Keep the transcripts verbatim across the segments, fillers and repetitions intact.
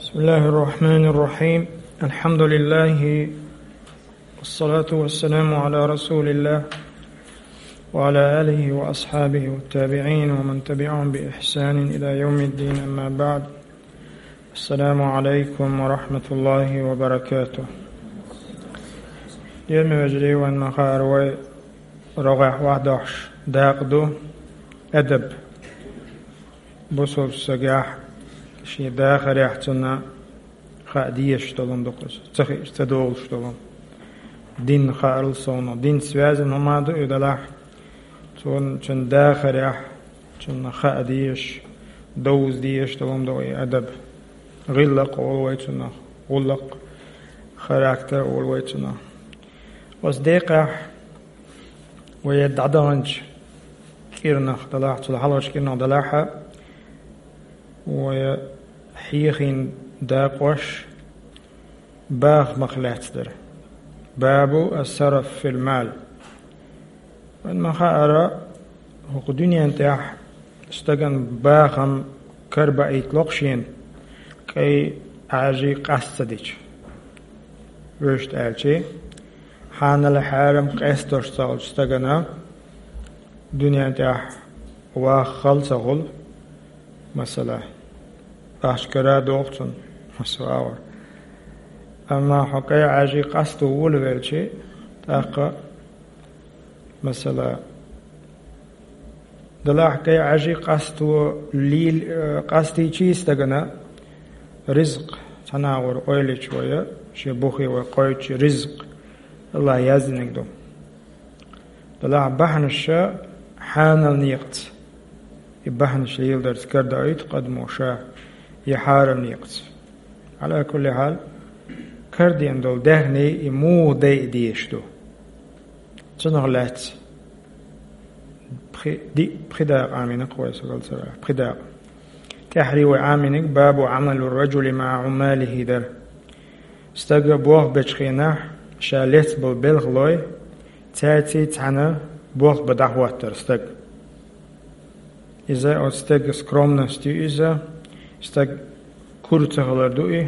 بسم الله الرحمن الرحيم. الحمد لله، والصلاة والسلام على رسول الله، وعلى آله وأصحابه والتابعين ومن تبعهم بإحسان إلى يوم الدين، أما بعد. السلام عليكم ورحمة الله وبركاته. Дермевежарий, вайн ма хаара, вай рогӀехь вахдохьуш дакъа ду адаб. Бусалба сагахь шен дахарехь цунна хаа дезаш долун ду-кх иза, ца хиъча ца долуш долун. Дин хаарал совнах, дин связан хӀума ду и делахь, цунна, цунна дахарехь, цунна хаа дезаш, довза дезаш долун ду и адаб. ГӀиллакх олу вай цунах, гӀуллакх, характер олу вай цунах. Оцу декъехь вай дӀадаханчу кӀирнах делахь, цул хьалхарчу кӀирнах делахь а, вай хьехийна дакъош бахамах лаьцна дара. Бабу ас-сараф фил мал. Вайн ма хаара, хӀокху дуьнен тӀехь стагана бахам карабаийтало-кх шена, кӀайн Ӏаьржий къаста ца дича. Вуьшта аьлча, хьанал-хьарам къестош ца хуьлучу стагана дуьнен тӀехь ваххал ца хуьлу, масала, ахча кара а догӀу цунна, масала, агӀор. Амма хьо кӀайн Ӏаьржий къасто волавелча, тӀаккха, масала, делахь кӀайн Ӏаьржий къасто лел-, э, къастийча стагана ризкъ, цхьана агӀор ойла йича вай, шен бухе вай кхоьчучу ризкъ АллахӀа яздинарг ду. Делахь бахьанаш хьанал некъаца, и бахьанаш леладарца карадоуьйту къа адамо ша, и хьарам некъаца. Ӏала кулли хьал, карадеана долу даьхни и муха дайа дезаш ду? Цунах лаьцна пхи-, диъ, пхи дакъа Ӏамийна-кх вай, сан гал ца ваьлча, пхи дакъа. ТӀаьххьара вай Ӏамийнарг бабу Ӏамалу р-ражули маӀа Ӏуммалихи дара. Стага болх бечу хенахь, ша лецна болу белхалой, цаьрций цхьаьна болх бан дӀахӀоттар стаг. Иза оцу стеган скромность ю иза, стаг кура ца хилар ду и,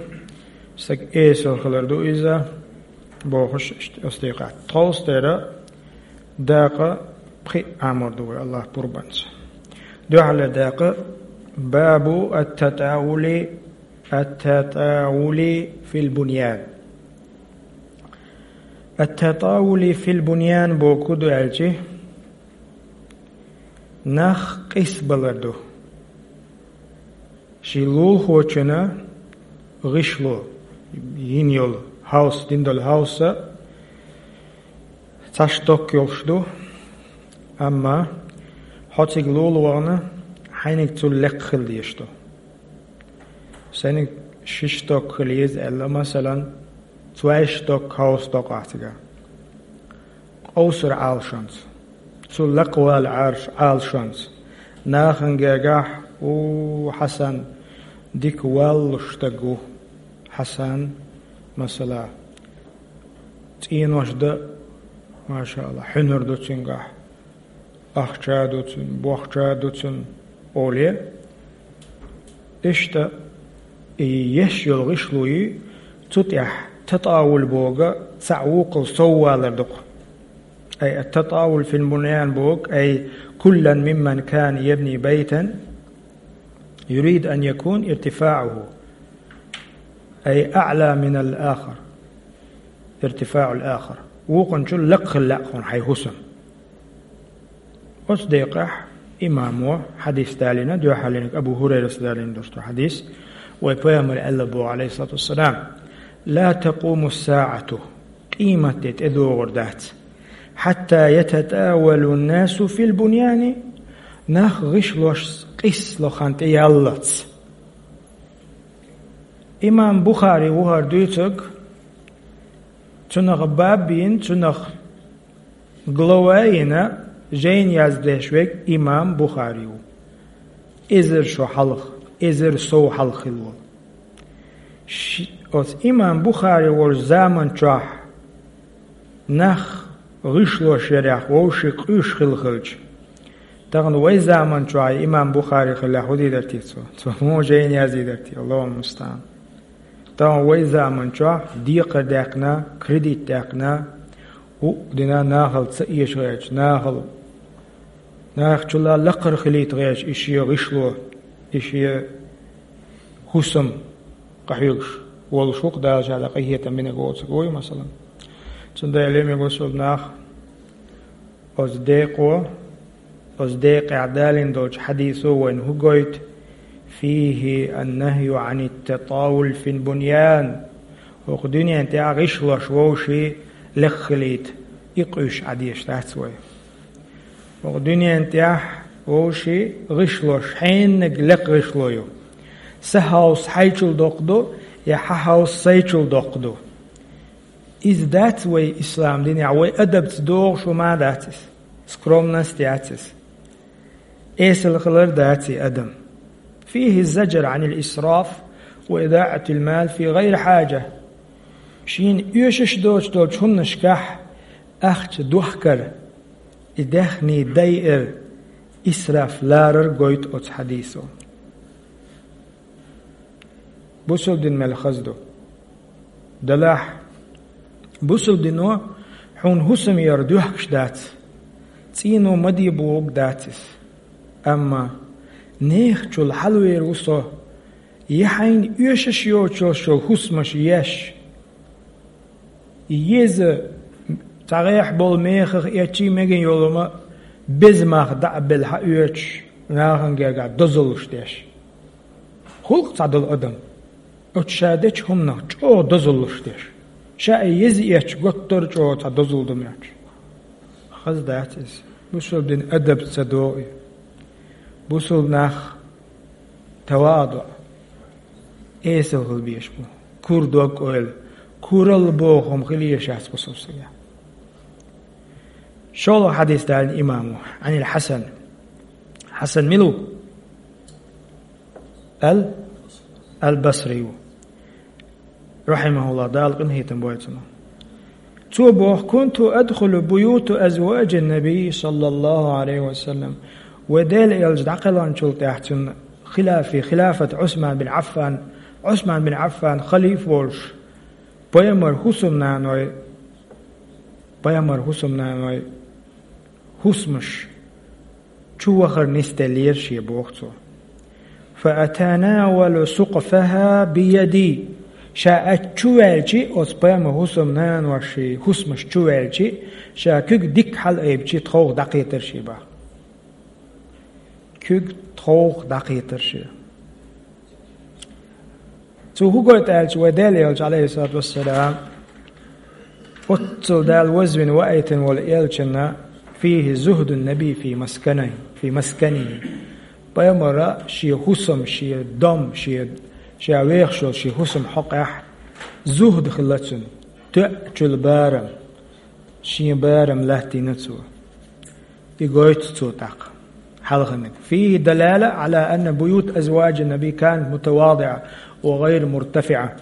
стаг эсала хилар ду иза, бохуш иштта оцу декъехь. Тховса дера дакъа пхиъ Ӏамор ду вай АллахӀ пурбанца. Дуьххьарлера дакъа бабу ат-татаулли, ат-татаулли фил буньян. Ат-татаулли фил буньян бохург ду аьлча, нах къийсабалар ду. Шен лулахочунна гӀишло, йина йолу хьовса, дина долу хьовса цхьа шток йолуш ду, амма хьо цига лула вахана, хьайниг цул лекха хила дезаш ду. Сайниг ши шток хила еза аьлла, масалан, цхьа шток хьовса доккху ахь цигахь. Къовсар Ӏалашонца, цу лакхавала Ӏарш Ӏалашонца, нахана гергахь, у, Хьасан дика валлуш стаг ву. Хьасан, масала, цӀенош дан, машаАллахӀ, хьуьнар ду цуьнгахь, ахча а ду цуьнан, бохча а ду цуьнан, олий. Иштта и еш йолу гӀишло ю, цу тӀехь татауль бохург цхьаъ вукхул соввалар ду-кх. Ай ат-татауль фил буньян бохург, ай куллан мимман кана ябни байтан юриду ан якуна иртифаъуху ай аӀла минал ахар, иртифаъул ахар. Вукхунчул лакха хила лаьа хьуна хьайн хӀусам. Оцу декъехь имамо хьадис далийна, дуьххьарлерниг Абу ХӀурайрас далийна долуш ду хьадис, вай Пайхамара аьлла боху, Ӏалайхиссалату вассалам: «Ла такъуму ссаӀату», къематде тӀедогӀур дац, «хьатта ятатаулу ннасу фил буньяни», нах гӀишлош къийсало хан тӀеяллалц. Имам Бухари ву хӀара дуьйцург, цунах баб бина, цунах глава йина, жайна яздеш верг имам Бухари ву. Эзар шо хьалха, эзар сов хьалха хилла волу. Ши-, оцу имам Бухари волчу заман чохь нах гӀишлош ярехь вовшийн къуьйсуш хилла хилча, тахана вай заман чохь имам Бухари хиллехь хӀун дийр дара те цо? Цо муха жайна яздийр дара те? Аллахул мустаӀан. Тахана вай заман чохь декхар даьккхина, кредит даьккхина, хӀуъа дина нахала ца эша гӀерташ, нахала, нахачул лакхара хилийта гӀерташ, и шен гӀишло, и шен хӀусам къахьоьгуш волуш ву-кх, Дала ша дӀа къинхетам бинарг воцург вуй, масала. Цундела, мега бусалба нах, оцу декъо, оцу декъехь далийна долчу хьадисо вайна хӀун гойту? فيه النهي عن التطاول في البنيان. ХӀокху дуьнен тӀехь гӀишлош вовшийн лекха хилийта, и къуьйсуш Ӏан дезаш дац вай. ХӀокху дуьнен тӀехь вовшийн гӀишлош, хьеннаг лекха гӀишло ю. Сан хьовса хьайчул доккха ду, я хьан хьовса сайчул доккха ду. Иза дац вай ислам динехь, вай адабца догӀуш хӀума дац иза. Скромность яц иза. Эсала хилар дац и адам. فيه الزجر عن الإسراف وإضاعة المال في غير حاجة. Шена оьшуш доцуш долчу хӀуманашкахь ахча дохкар, и даьхни дайар, исраф ларар гойту оцу хьадисо. Бусалба дин мел хаза ду. Делахь, бусалба дино хьуна хӀусам яр доьхкуш дац, цӀийно ма де бохург дац иза. Амма нехачул хьалавер ву со, я хьайна оьшуш йоцуш йолу хӀусамаш еш, еза, цхьа гӀехь болу мехах эцчий мегина йолу хӀума беза мах дӀа а белла хьаоьцуш, нахана гергахь дозаллаш деш. ХӀуллакх цхьа долу адам, оцу ша дечу хӀуманах чӀогӀа дозаллаш деш. Ша и еза эцча готтара чӀогӀа цхьа дозалла ду моьттуш. Хаза дац иза. Бусалба дин адабца ца догӀу и. Бусалба нах таваду, эсала хила безаш бу. Кура дог-ойла, куралла боху хӀума хила езаш яц бусалба стагехь. ШолгӀа хьадис далийна имамо, Ӏанил Хьасан. Хьасан мила ву? Ал, Ал-Басри ву. РахьимахӀуллахӀ, Дала къинхетам бойла цунах. Цо боху: كنت أدخل بيوت أزواج النبي صلى الله عليه وسلم. Вай Делан элча дӀакхелхинчул тӀаьхьа цуьнан хилафи, хилафат Ӏусман бин Ӏаффан, Ӏусман бин Ӏаффан халифа волуш, пайхамар хӀусамнаной, пайхамар хӀусамнаной хӀусамаш чу вахар нисделлера шен, боху цо. فأتناول سقفها بيدي. Ша аччу ваьлчи, оцу пайхамар хӀусамнаноший хӀусамаш чу ваьлчи, ша куьг дикка хьалаайбичи, тховх дӀакхетар шен бах. Куьг тховх дӀакхетар шен. Цо хӀун гойту аьлча, вай Делан элча, Ӏалайхиссалату вассалам, оццул Дала вазвина ваийтина волу элчанна: فيه زهد النبي في مسكنه، في مسكنه. Пайхамара шен хӀусам, шен дом, шен, ша вехаш йолу шен хӀусам хьокъехь зухд хилла цуьнан, тоьачул барам, шен барам латтийна цо. И гойту цо тӀаккха хьалханиг. فيه دلالة على أن بيوت أزواج النبي كانت متواضعة وغير مرتفعة.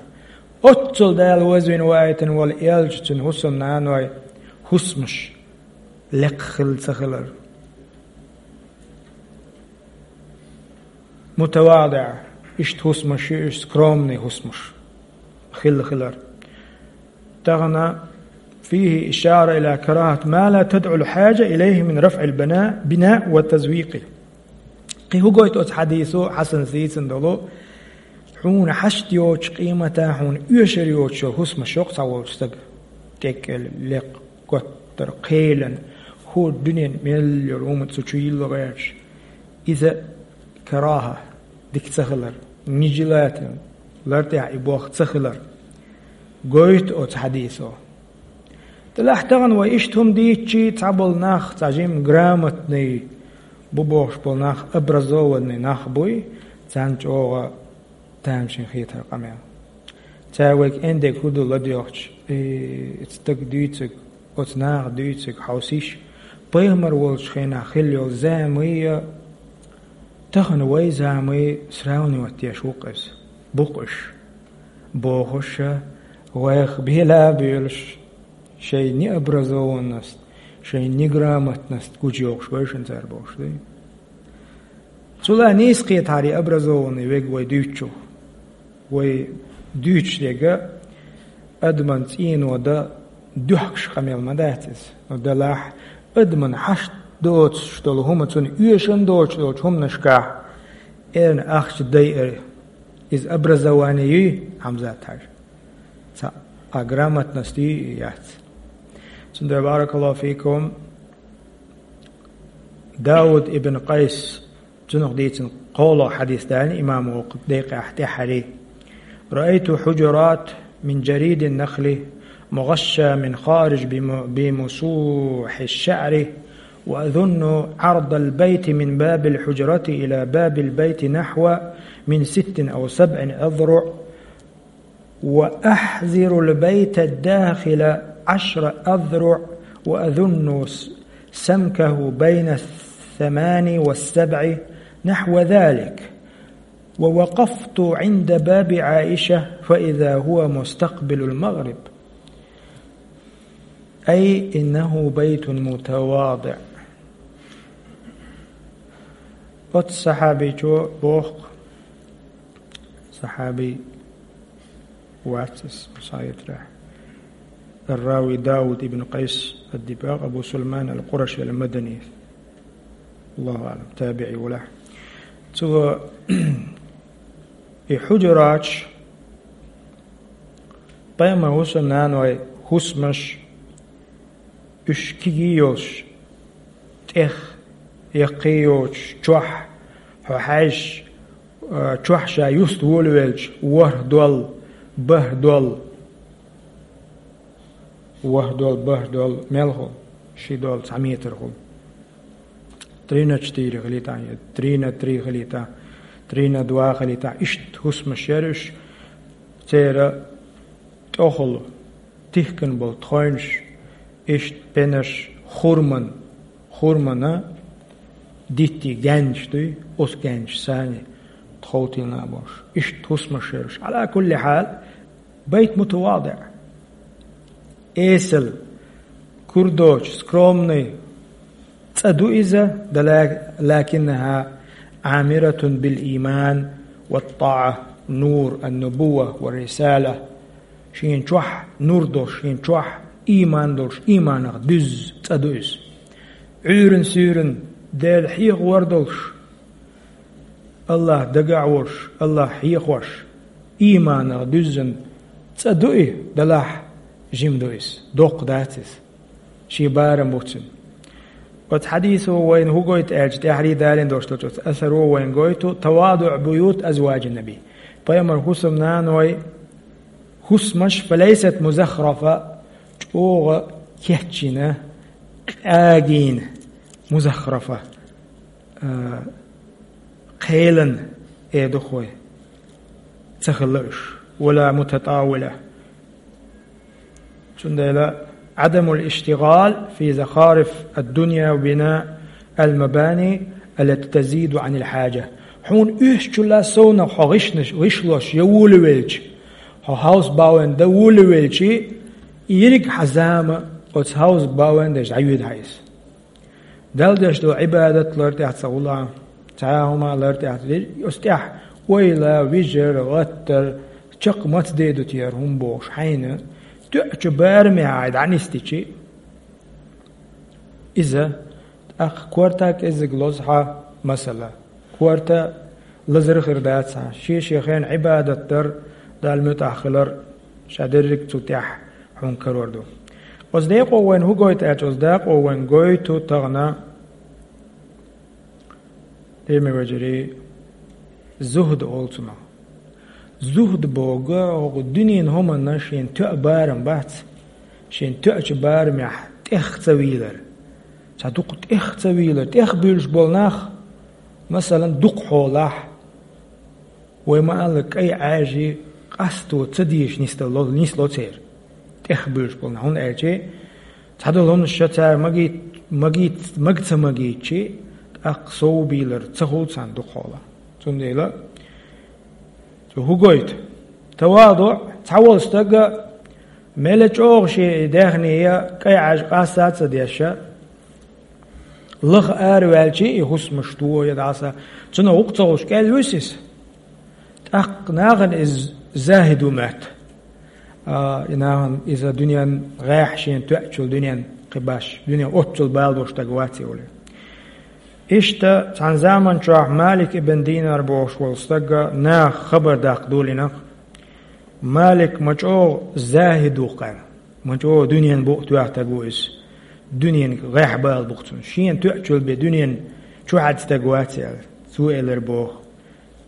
Оццул Дала вазвина ваийтина волу элча, цуьнан хӀусамнаной хӀусамаш лекха хилла ца хилар. متواضعة, иштта хӀусамаш ю уьш, скромный хӀусамаш хилла хилар. Тахана فيه إشارة إلى كراهة ما لا تدعو الحاجة إليه من رفع البناء، بناء وتزويق. Кхин хӀун гойту оцу хьадисо, Хьасанас дийцина долу, хьуна хьашт йоцучу къематан, хьуна оьшур йоцуш йолу хӀусамаш йоккха цхьа волчу стага, кӀеккӀел, лекха, готтар, кхелан, хӀора дуьнен мел йолу хӀума цу чу йилла гӀерташ. Иза карахӀа, дика ца хилар, нежелательно, лар тӀехь и бох ца хилар гойту оцу хьадисо. Делахь тахана вай иштта хӀума дийцчи, цхьаболу нах, цхьа жимма грамотный бу бохуш болу нах, образованный нах буй, царна чӀогӀа тамашийна хетара къамел. Цара вайга эндег хӀун ду ладоьгӀча, э, оцу стага дуьйцург, оцу наха дуьйцург хьовсийша, пайхамар волчу хенахь хилла йолу заман я, тахана вай заман сравнивать деш ву-кх иза, бу-кх уьш, бохуш, вайх бела а боьлуш, шайн необразованность, шайн неграмотность гучуйоккхуш вайшинна цара бохуш ду. Цул а нийса кхетахьара и образованный верг вай дуьйцучух. Вай Дуьйцуш дерг адаман цӀийно дан доьхкаш къамел ма дац иза. Ну, делахь, адаман хьашт доцуш долу хӀума, цунна оьшан доцуш долчу хӀуманашкахь эрна ахча дайар, иза образование юй, Хьамзат-Хьаьжа? Цхьа а грамотность юй яц. Цундела, баракаллаху фикум, Дауд ибн Къайс, цунах дийцина кхоалгӀа хьадис даьлла имамо воккха декъехь тӀаьххьарий: «رأيت حجرات من جريد النخل مغشى من خارج بم-، بمسوح الشعر، وأظن عرض البيت من باب الحجرة إلى باب البيت نحو من ست أو سبع أذرع، وأحذر البيت الداخل عشر أذرع، وأظن س-، سمكه بين الثمان والسبع، نحو ذلك. ووقفت عند باب عائشة فإذا هو مستقبل المغرب، أي إنه بيت متواضع». Оцу сахьабичо боху, сахьаби вац иза, схьаэцарехь. Ар-Рави Дауд ибн Къайс ад-Диббагъ Абу Сулайман ал-Къураши ал-Мадани. Аллаху аълам, табиӀи валахь. Цо и хьуджураташ, пайхамар хӀусамнаной хӀусамаш, уьш кегий йолуш, тӀех яккхий йоцуш, чохь хьо хьаьжча, а, чохь ша юста волавелча, ворхӀ дол, бархӀ дол, ворхӀ дол, бархӀ дол мел хуьлу, ши дол, цхьа метр хуьлу. Три на четыре хилийтахь, я три на три хилийтахь, три на два хилийтахь, иштта хӀусамаш яра уьш, церан тӀехула тихкина болу тхойнаш, иштта пенаш хурман, хурмана дитти гаьнаш дуй, оцу гаьнаш санна тховтийна а болуш. Иштта хӀусамаш яра уьш. Ӏала кулли хьал, байт мутавади. Эсала, кура доцуш, скромный цӀа ду иза, дала-, лакиннаха Ӏамиратун бил ийман ва тӀаӀа, нур ан-нубувва ва рисала. Шена чохь нур долуш, шена чохь ийман долуш, ийманах дуьзза цӀа ду иза. Ӏуьйран-суьйран Дела хьехавар долуш, Аллах дагахь волуш, Аллах хьехош, ийманах дуьззина цӀа ду и, делахь жима ду иза, доккха дац иза. Шен барам бу цуьнан. Оцу хьадисо вайна хӀун гойту аьлча, тӀаьххьарий далийна долуш долчу оцу асаро вайна гойту, тавадуӀ буют азваджин наби. Пайхамар хӀусамнаной хӀусамаш, фалайсат музаххарафа, чӀогӀа кечйина, къагийна, музаххарафа, а, кхелан, э, духой ца хилла уьш, вала мутатӀавила. Цундела Ӏадамул иштигъал фи захариф ад-дунья ва бина ал-мабани аллати тазиду Ӏанил хьаджа. Хьуна уьш чула совнах хьо гӀишнаш, гӀишлош я волавелча, хьо хьовса бовла дан волавелча, ерриг хьан зама оцу хьовса бовла деш дӀаюьйду хьан иза. Далла деш долу Ӏибадат лар тӀехь ца гӀула, цхьа а хӀума лар тӀехь ца деш, оцу тӀехь ойла, вижар, гӀаттар, чекх маца дедо те хӀара хӀума бохуш хьайна, тоьачу барамехь хьай дӀанисдичи, иза тӀаккха корта кӀеззиг лозу хьан, масала, корта лазар хир дац хьан, шен-шен хенахь Ӏибадат дар, Далла муьтӀахь хилар, ша дерриг цу тӀехь хьуна карор ду. Оцу декъо вайна хӀун гойту аьлча, оцу декъо вайна гойту тахана, дийна вежарий, зухд олу цунах. Зухд боху, хӀокху дуьненан хӀуманна шена тоьа барам бац, шена тоьачу барамехь тӀех ца вийлар. Цхьа дукха тӀех ца вийлар, тӀех буьйлуш болу нах, масалан, дукха хьолахь, вай ма-аллара, кӀай Ӏаьржий къасто ца дезаш нисдало, нисло церан. ТӀех буьйлуш болу нах. ХӀунда аьлча, цхьадолу хӀуманаш ша цара магийт-, магийт-, мага ца магийчи, тӀаккха сов бийлар ца хуьлу царна дукха хьолахь. Цундела, цо хӀун гойту? Тавадуъ, цхьаволу стага мела чӀогӀа шен даьхни я кӀай Ӏаьржа къаста а ца деш, лаха араваьлчи, и хӀусамаш тохо я дӀаса, цунах гӀуллакх ца хуьлуш кӀел вуьсу иза. ТӀаккха нахана иза Захид ву моьтту. А, и нахана иза дуьнен гӀехь шена тоьачул дуьнен кхин баш, дуьнен оццул бала долуш стаг вац и олий. Иштта цхьана заман чохь Малик ибн Динар бохуш волу стага наха хабар даккха долийнарх. Малик ма чӀогӀа захид ву-кх аьлла. Ма чӀогӀа дуьнен букъ тоьхна стаг ву иза. Дуьненга гӀехь бала бу-кх цунна. Шена тоьачул бен дуьнен чухьаьдда стаг вац аьлла. Цо элира боху: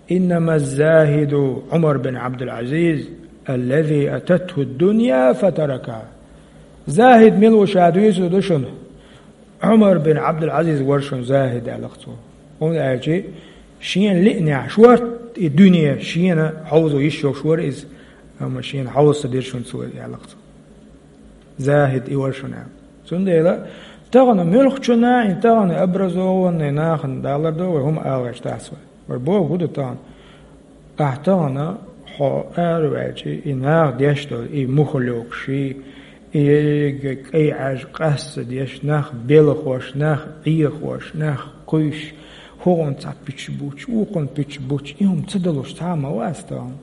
«Иннама захиду Ӏумар бин Ӏабдул-Ӏазиз, аллази ататху дунья фатаракаха». Захид мила ву ша дуьйцур ду шуна. Ӏумар бин Ӏабдул-Ӏазиз вара шуна захид аьлла-кх цо. ХӀунда аьлча шена лиънехь шортта и дуьне шена хьовзо йиш йолуш вара иза, амма шена хьовза ца дира шуна цо аьлла-кх цо. Захид и вара шуна аьлла. Цундела тахана муьлххачунна, и тахана образованный нахана далар ду вай, хӀума ала гӀерташ дац вай. Вай бохург хӀун ду тахана? Ахь тахана хьо араваьлча, и наха деш долу, и мухӀалокаш, и ерриге кӀай Ӏаж къасса деш, нах белхош, нах Ӏехош, нах кхуьйсуш, хӀокхунна цхьа пуьча буч, вукхунна пуьча буч, и хӀума ца далуш цхьа а ма вац тахана.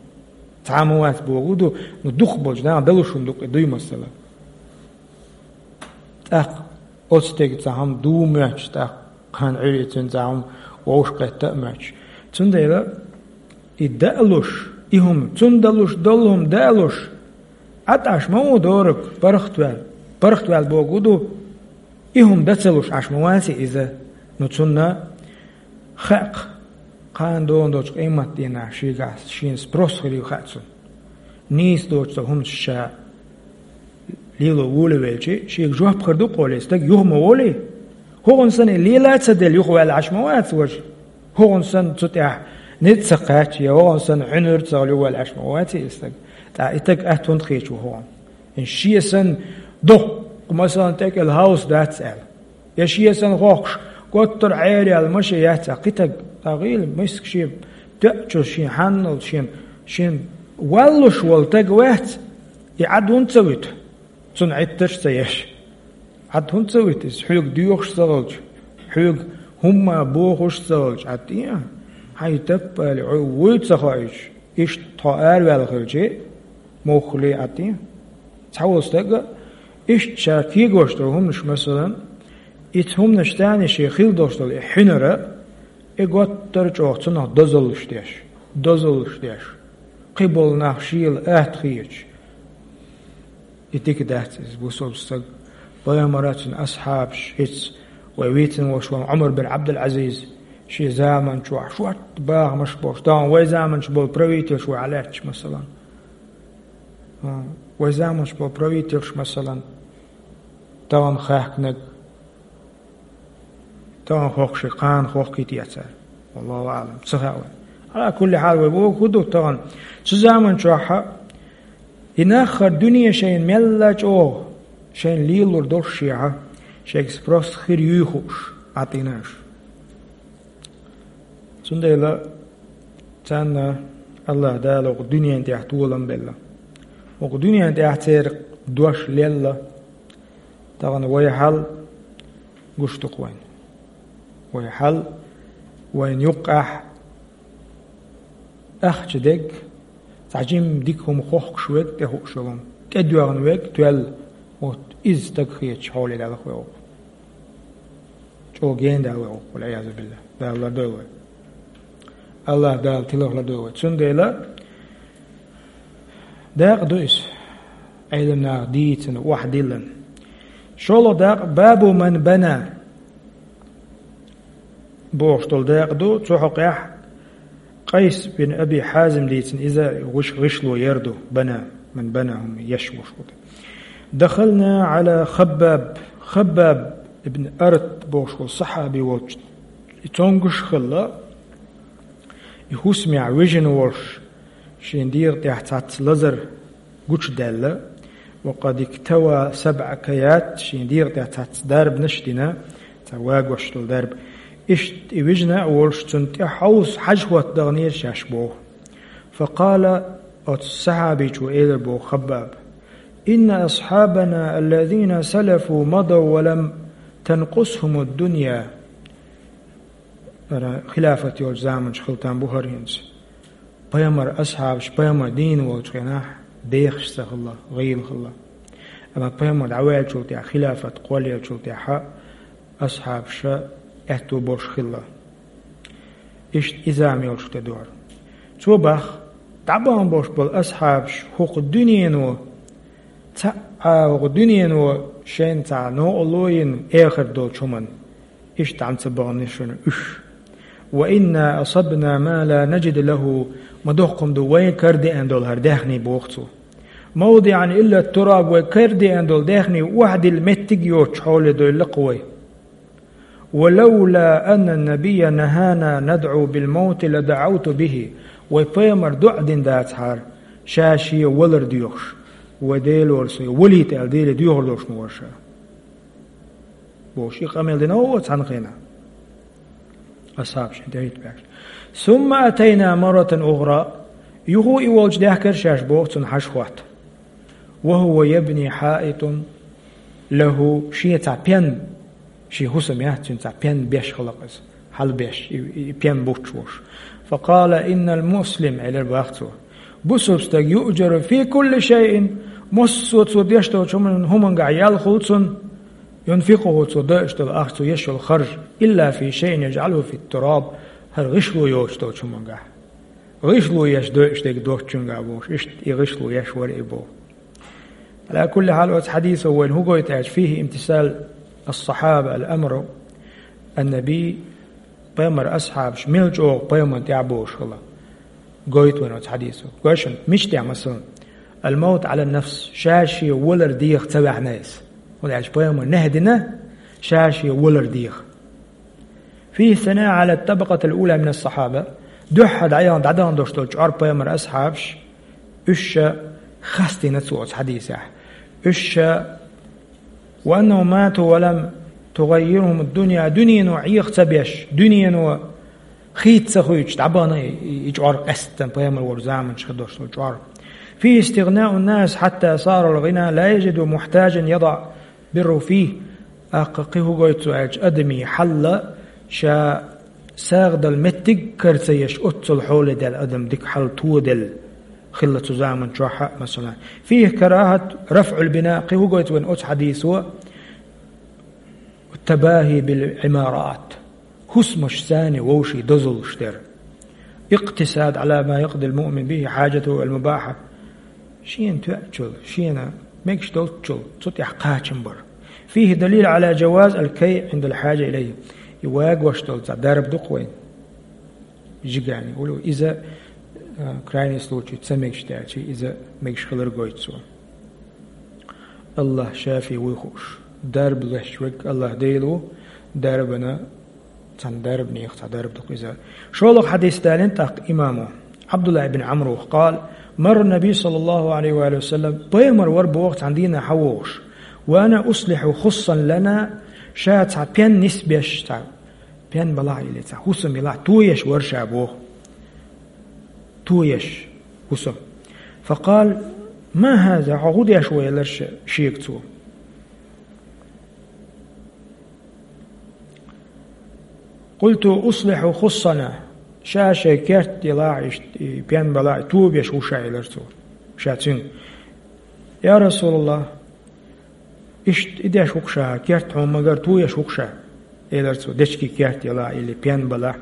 Цхьа а ма вац бохург ду, ну дукхах болчу наха далуш хӀума ду-кх и, дуй масала. ТӀаккха оцу стеган цхьа хӀума дуй моьттуш, тӀаккха кхана Ӏуьйре цуьнан цхьа хӀума вовшахкхетта а моьттуш. Цундела и даалуш, и хӀума, цунна далуш долу хӀума даалуш, Ӏад Ӏаш ма ву дораг паргӀатваьлла. ПаргӀатваьлла бохург ду, и хӀума дан ца луш Ӏаш ма вац иза. Ну цунна хаьа-кх, кхана долу долчу къематдийнахь шегахь шена спрос хир ю хаьа цунна. Нийса доцу хӀуманаш ша лело волавелча, шега жоп хир ду-кх олий, стаг юха ма волий. ХӀокхунна санна и лела а ца делла юхаваьлла Ӏаш ма вац важа. ХӀокхунна санна цу тӀехь ницкъ ца кхаьчча, я хӀокхунна санна Ӏуьнар ца хилла юхаваьлла Ӏаш ма вац и стаг. ТӀаккха и стаг атта хӀунда кхеташ ву хӀокхунна? Шен санна доккха, масалан, тӀекӀел хьовса дац аьлла. Я шен санна хӀокхуш, готтара Ӏер яьлла машен яц а кхин стаг, дӀагӀийла, миска шен тоьачу шен хьанналц шен, шен валлуш волу стаг вац, и Ӏад хӀунда ца вуьту? Цунна Ӏиттарш а ца еш. Ӏад хӀунда ца вуьту иза? Хьоьга доьхуш а ца хилча, хьоьга хӀумма бохуш а ца хилча, Ӏад тӀе а? Хьайн таппали, хьо вуй ца хоуьйтуш, иштта тхо араваьлла хилча, муххале Ӏад тӀе а? Цхьа волу стаг а, иштта ша кегош долу хӀуманаш, масалан, и цу хӀуманаш тӀехь шен хила долуш долу и хьуьнар а, и готтара чӀогӀа цунах дозаллаш деш, дозаллаш деш, кхин болу нах шела атта хеташ. И дика дац иза, бусалба стаг. Пайхамар а, цуьнан асхьабаш, хӀинца вай вийцина волуш волу Ӏумар бин Ӏабдул-Ӏазиз, шен заман чохь шортта бахамаш болуш, тахана вай заманчу болу правительш вай хьалаьтташ, масалан. Вай заманчу болу правительш, масалан, тахана хаьхкинарг, тахана хӀокху ши кхана хӀокху кхетий цара. Валлаху аӀлам, ца хаьа вай. Ала кулли хьал, вай бохург хӀун ду тахана? Цу заман чохь а и нах хӀара дуьне шайна мелла а чӀогӀа шайна лелалур долуш шехьа, шайга спрос хир юй хууш, Ӏад тӀе а уьш. Цундела царна АллахӀ Дала хӀокху дуьнен тӀехь толам белла. ХӀокху дуьнен тӀехь церан дош лелла. Тахана вай хьал гуш ду-кх вайна. Вай хьал вайна юккъехь ахча дерг, цхьа жимма дика хӀума хохкуш верг, тӀехууш йолу хӀума, тӀедоьгӀна верг тоьлла, вот иза стаг хеташ хьоле далахь вай хӀокху. ЧӀогӀа гена далахь вай хӀокху, валӀиязу биллахӀ. Дала лардойла вай. АллахӀ Дала тиларх лардойла вай. Цундела дакъа ду иза, Ӏелам наха дийцина, охьадиллина. ШолгӀа дакъа, бабу ман бана бохуш долу дакъа ду, цу хьокъехь Къайс бин Аби Хьазим дийцина, иза гӀиш-, гӀишло яр ду, бана, ман бана хӀума еш волуш ву. Дахална Ӏала Хаббаб, Хаббаб ибн Арат бохуш волу сахьаби волчу, и цомгуш хилла, и хӀусамехь вижина волуш, шен дегӀа тӀехь цхьацца лазар гучудаьлла, ва къад иктава сабӀа каят, шен дегӀа тӀехь цхьацца дарбанаш а дина, цхьа вагош долу дарба. Иштта и вижина а волуш, цунна тӀе хьовса хьажа хӀотта даханера шаьш боху. Факъала, оцу сахьабичо элира боху Хаббаба: «Инна асхьабана аллазина салафу мадав ва лам танкъусхумуд дунья». Ара хилафат йолчу заманчу хила там бу хӀара хӀинца. Пайхамар асхьабаш пайхамар дийна волчу хенахь дехаш ца хилла, гӀийла хилла. Амма пайхамар дӀаваьллачул тӀаьхьа, хилафат кхоллаеллачул тӀаьхьа асхьабаша аьтто болуш хилла. Иштта иза мелчу тӀе дора. Цо баха, дӀабахана болуш болу асхьабаш хӀокху дуьнено, цхьа а хӀокху дуьнено шайна цхьа новкъарло йина эхарт долчу хӀуманна. Иштта дӀа ца бахана шуна уьш. «Ва инна асабна ма ла наджиду лаху», ма доккхун ду вайн карадеана долу хӀара даьхний боху цо. «МавдиӀан илла тураб», вай карадеана долу даьхний охьадилла меттиг а йоцучу хьоле дойлла-кх вай. «Ва лавла анна набийя нахана надӀу бил мавти ла даӀавту бихи». Вай пайхамар доӀа дина дацахьара, ша шен валар доьхуш, вай Делора со валийта аьлла, Деле доьхур долуш ма вара ша. Бохуш, и къамел дина оха цхьана хенахь. Асхьабашна тӀехӀитта баьхкина. «Сумма атайна марратан ухра». Юха и волчу даьхкира шаьш боху цунна хьажа хӀотта. «Ва хӀува ябни хьаитун лаху», шен цхьа пен, шен хӀусам яц цуьнан, цхьа пен беш хилла-кх иза, хьалабеш, и, и пен буттуш волуш. «Факъала: иннал муслим», элира баха цо. Бусалба стаг «юъджару фи кулли шайин», массо а цо деш долчу хӀуман-, хӀумангахь ял хуьлу цунна, «юнфикъуху», цо дойуш долу ахча, цо еш йолу харж, «илла фи шайин яджӀалуху фит тураб», хӀара гӀишло йоцуш долчу хӀумангахь. ГӀишло еш дойуш дерг доцучуьнгахь бохуш, иштта и гӀишло еш вара и боху. Ала кулли хьал, оцу хьадисо вайна хӀун гойту аьлча, фихи имтисал ас-сахьаба ал-амру ан-наби, пайхамар асхьабаш мел чӀогӀа пайхамарна тӀаьхьа бохуш хилла. Гойту вайна оцу хьадисо. Гой шуна, мича тӀехь, масалан, ал-мавт ала нафс, ша шен валар деха ца ваьхьна иза. ХӀунда аьлча пайхамар нахь дина, ша шен валар деха. Фихи сана ала табакъатил ула мина сахьаба, дуьххьара дӀаяхана, дӀадахана долуш долчу чкъор пайхамар асхьабаш, уьш ша хастийна цо оцу хьадисехь. Уьш ша «ва аннахум мату ва лам тугаййирхум ад-дунья», дуьнено Ӏеха ца беш, дуьнено хийца ца хуьйцуш, дӀабахана и, и, и чкъор къаьсттина пайхамар волчу заманчохь хир долуш долу чкъор. «Фи истигънау ннас хьатта сара ал-гъина ла яджиду мухьтаджан ядаӀ бирру фи». ТӀаккха кхин хӀун гойту цо аьлча, адамийн хьал ша сагӀа дала меттиг кара ца еш, оццул хьоле даьлла адам, дика хьал тоделла хилла цу заманчохь а, масала. «Фихи карахат рафӀул бина», кхин хӀун гойту вайна оцу хьадисо, «табахи бил Ӏимарат», хӀусамашца вовшийн дозаллаш дара. «Икътисад ала ма якъдил муъмин бихи хьаджатаху ал-мубахьа». Шена тоьуччул, шена мегаш долччул цу тӀехь кхачам бар. «Фихи далил ала джаваз ал-кай Ӏиндал хьаджа илайхи». И вагош долу цхьа дарба ду-кх вайна. Жигани улу. Иза, а, крайний случай, ца мегаш даьлча, иза мегаш хилар гойту цо. АллахӀ шафи вуй хууш. Дарба леш верг АллахӀ Дела ву, дарбана, цхьана дарбанех цхьа дарба ду-кх иза. ШолгӀа хьадис далийна тӀаккха имамо, Ӏабдулла ибн Ӏамрох, къала: «Марра Наби саллаллаху Ӏалайхи ва саллам», пайхамар вара боху цхьана дийнахь хьан вогӀуш. «Ва ана услихьу хуссал лана», ша цхьа пен нисбеш, цхьа пен балахь или, цхьа хӀусам елахь, тоеш вара ша боху. Тоеш хӀусам. «Факъала: ма хаза», хьо хӀун деш ву, элира ша, шега цо. «Къулту услихьу хуссана», ша шайн керт елахь, иштта, и пен балахь, тобеш ву ша, элира цо. Ша цуьнга: «Я РасулаллахӀ, иштта и деш ву-кх ша, керт хьуна магар тоеш ву-кх ша», элира цо, дечки керт елахь или пен балахь.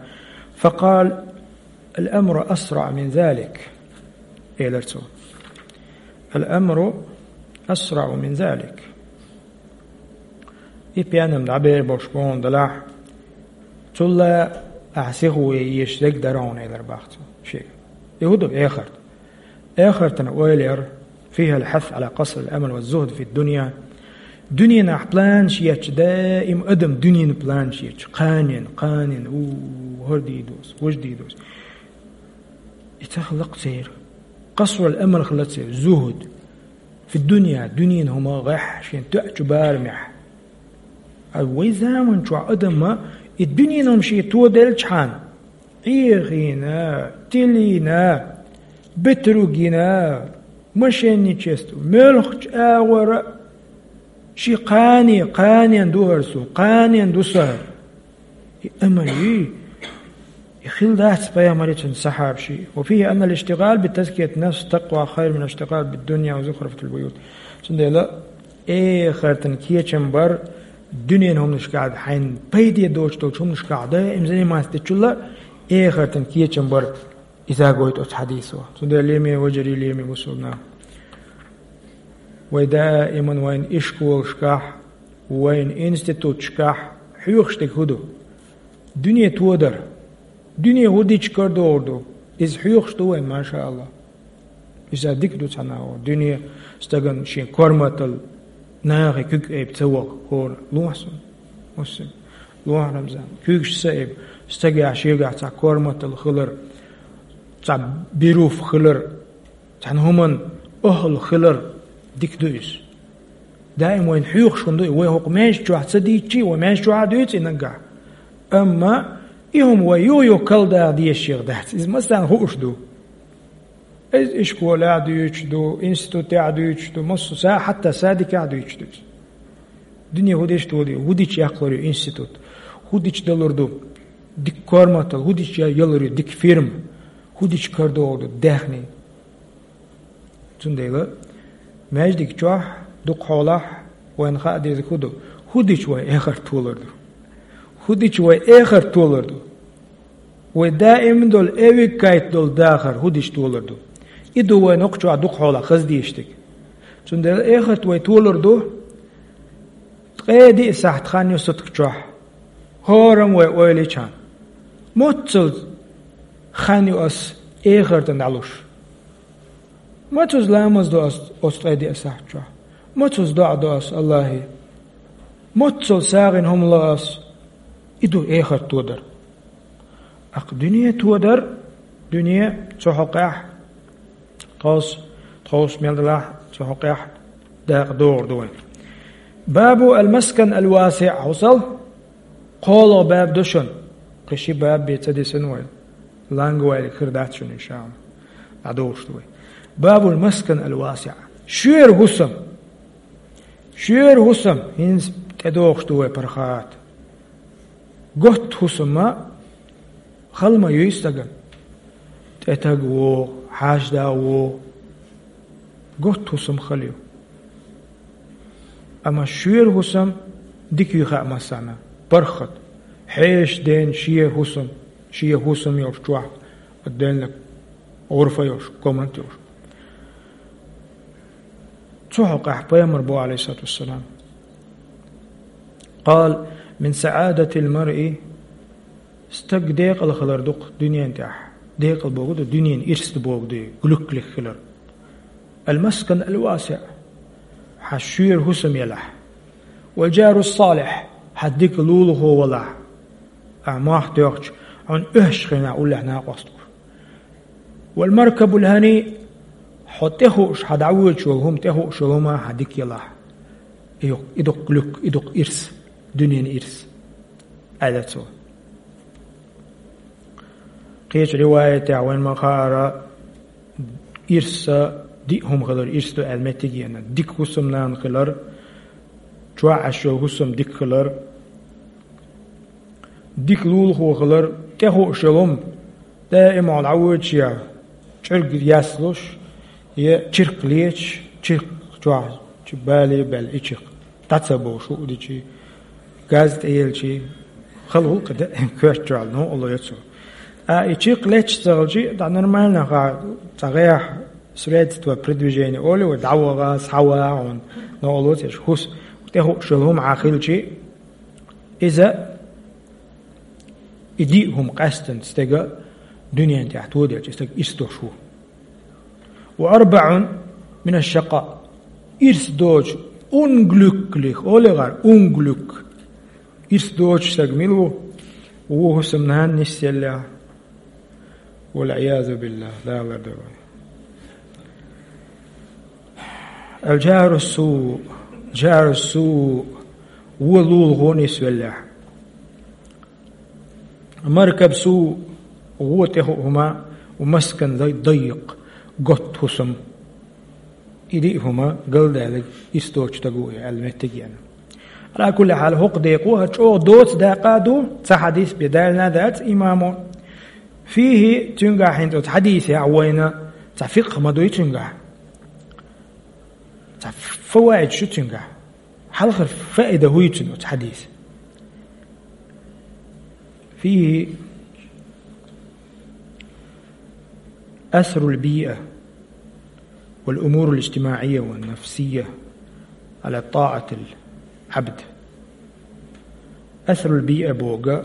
«Факъала: ал-амру асраъ мин залик», элира цо. «Ал-амру асраъ мин залик». И пен-м дӀабер болуш бохург далахь, цул а ахь сиха вуй езаш дерг дара хьуна, элира баха цо шега. И хӀун ду эхарт? Эхартан ойла яр: «фихал хьас ала къасрил амал ва зухд фид дунья». Дуьненахь планаш ечча, даим адам дуьненан планаш ечча, кханен, кханен, у, хӀара дийр ду ас, важа дийр ду ас. И ца хилла-кх церан. Къасрул амал хилла церан, зухд. Фи дунья, дуьненан хӀума гӀехь, шен тоьачу барамехь. А вай заман чохь адамма и дуьненан хӀума шен тоделчхьана, Ӏехийна, тилийна, бетруг йина, мошенничество, муьлххачу агӀора, шен кхане, кханен ду хӀара суна, кханен ду сан хӀара. И амал юй, Хила дац пайхамарий, цуьнан сахьабаший. وفيه أن الاشتغال بتزكية النفس والتقوى خير من الاشتغال بالدنيا وزخرفة البيوت. Цундела эхартан кечам бар, дуьненан хӀуманашкахь, хьайна пайде доцуш долчу хӀуманашкахь даим заниматься дечул а, эхартан кечам бар, иза гойту оцу хьадисо. Цундела леме вежарий, леме мусульман нах. Вай даиман вайн ишколашкахь, вайн институташкахь хьоьхуш дерг хӀун ду? Дуьне тодар. Дуьне хӀун дича карадогӀур ду? Иза хьоьхуш ду вайн, машааллахӀ. Иза дика ду цхьана а. Дуьне стагана шен корматалла, нахе куьг айба ца ваха хӀора. Лохьа суна, Муслим. Лохьа, Рамзан. Куьйгаш ца айба. Стагехь шегахь цхьа корматалла хилар, цхьа беруф хилар, цхьана хӀуманна охӀла хилар дика ду иза. Даим вайна хьоьхуш хӀума ду и, вай хӀокху маьждиг чохь ца дийцчи, вай маьждиг чохь а дуьйцу и наггахь. Амма и хӀума вай юха-юха калдаха дезаш дац. Иза массарна хууш ду. Иза ишколехь а дуьйцуш ду, институтехь а дуьйцуш ду, массо са-, хьатта садикехь а дуьйцуш ду иза. Дуьне хӀун дича тодар ю, хӀун дича яккхалур ю институт, хӀун дича далур ду дика корматалла, хӀун дича ялур ю дика фирма, хӀун дича карадогӀур ду даьхни. Цундела маьждиг чохь, дукха хьолахь вайна хаа деза хӀун ду? ХӀун дича вай эхарт толур ду? ХӀун дича вай эхарт толур ду? Вай даим долу, эвиг кайта долу дахар хӀун дича толур ду? И ду вайна хӀокху чохь дукха хьолахь хаза дезаш дерг. Цундела эхарт вай толур ду, ткъе диъ сахьт хан ю сутка чохь. ХӀораммо вай ойла йича, моццул хан ю ас эхартана дӀалуш? Мацуза ламаз до ас оцу ткъе диъ сахьт чохь? Мацуза доӀа до ас Аллахье? Моццул сагӀина хӀума ло ас? И ду эхарт тодар. Акха дуьне тодар, дуьне цу хьокъехь, тховс-, тховса мел далахь, цу хьокъехь дакъа догӀур ду вай. Бабу ал-маскан ал-васиъ, хьусал, кхоалгӀа баб ду шуна. Кхин ши баб бен ца дисина вай. Ланга вайлиг хир дац шуна, иншааллахӀ. ДӀадолуш ду вай. Бабул маскан ал-васиъ. Шуьйра хӀусам. Шуьйра хӀусам, хӀинца тӀедогӀуш ду вай паргӀат. Готта хӀусам а хала ма юй стагана. ТӀетаг вогӀу, хьаьжда вогӀу. Готта хӀусам хала ю. Амма шуьйра хӀусам дика ю хаьа массарна. ПаргӀат. Хьешан ден шен хӀусам, шен хӀусам йолуш чохь, отдельно гӀурфа йолуш, комната йолуш. Цу хьокъехь пайхамар боху, Ӏалайхиссалату вассалам: «Къала мин саӀадатил маръи», стаг декъала хилар ду-кх дуьнен тӀехь. Декъала бохург ду, дуьненан ирс ду бохург ду, глюклих хилар. «Ал-маскан ал-васиъ», хьан шуьйра хӀусам елахь. «Вал джарус салихь», хьан дика лулахо валахь. Ахьа мохь тоьхча, хьуна оьшшучу хенахь уллехь накъост гуш. «Вал маркабул хӀани», хьо тӀехууш, хьан дӀавоьдуш волу хӀума, тӀехууш йолу хӀума хьан дика елахь. И ю-, и ду-кх глюк, и ду-кх ирс, дуьненан ирс, аьлла цо. Кхечу риваятехь вайн ма-хаара, ирс диъ хӀума хилар ирс ду аьлла меттиг а еана. Дика хӀусамнана хилар, чохь Ӏаш йолу хӀусам дика хилар, дика лулахо хилар, тӀехууш йолу хӀума, даима хьо дӀавоьдуш я чӀирг яслуш, я чиркх леташ, чиркх чохь чу бале а баьлла и чиркх. ДӀа ца бовш хӀуъа дичи, газ тӀеелчи, хала гӀуллакх даима коьрта чохь новкъарло йо цо. Ткъа и чиркх леташ ца хилчи, дӀа нормально ха, цхьа гӀехь, средство передвижения олий вай, дӀаваха, схьаваха хьуна, новкъарло ца еш, хӀус-, тӀехууш йолу хӀума Ӏа хилчи, иза, и диъ хӀума къаьстина стеган дуьнен тӀехь тоделча, и стаг ирс долуш ву. «Ва арбаун мина шакъа». Ирс доцу, унглюклих, олий гӀар, унглюк. Ирс доцу стаг мила ву? Ву хӀусамнана нисъеллехь. Вал-Ӏиязу биллахӀ, Дала лардойла вай. Ал-джару су, джару су, вон лулахо нисвеллехь. Маркаб су, вон тӀехуъу хӀума, ва маскан дай-, даййикъ, готта хӀусам. И диъ хӀума галдаьлларг ирс доцу стаг ву и аьлла меттиг а еана. Ала кулли хьал, хӀокху декъо хӀара чӀогӀа доцу дакъа а ду, цхьа хьадис бен далийна а дац имамо. فيه, цуьнгахь хӀинца оцу хьадисехь вайна цхьа фикъхӀ ма дуй цуьнгахь. Цхьа фаваид шу цуьнгахь. Хьалхара фаида хӀуй цуьнан оцу хьадис. فيه أثر البيئة والأمور الاجتماعية والنفسية على طاعة العبد. أثر البيئة боху,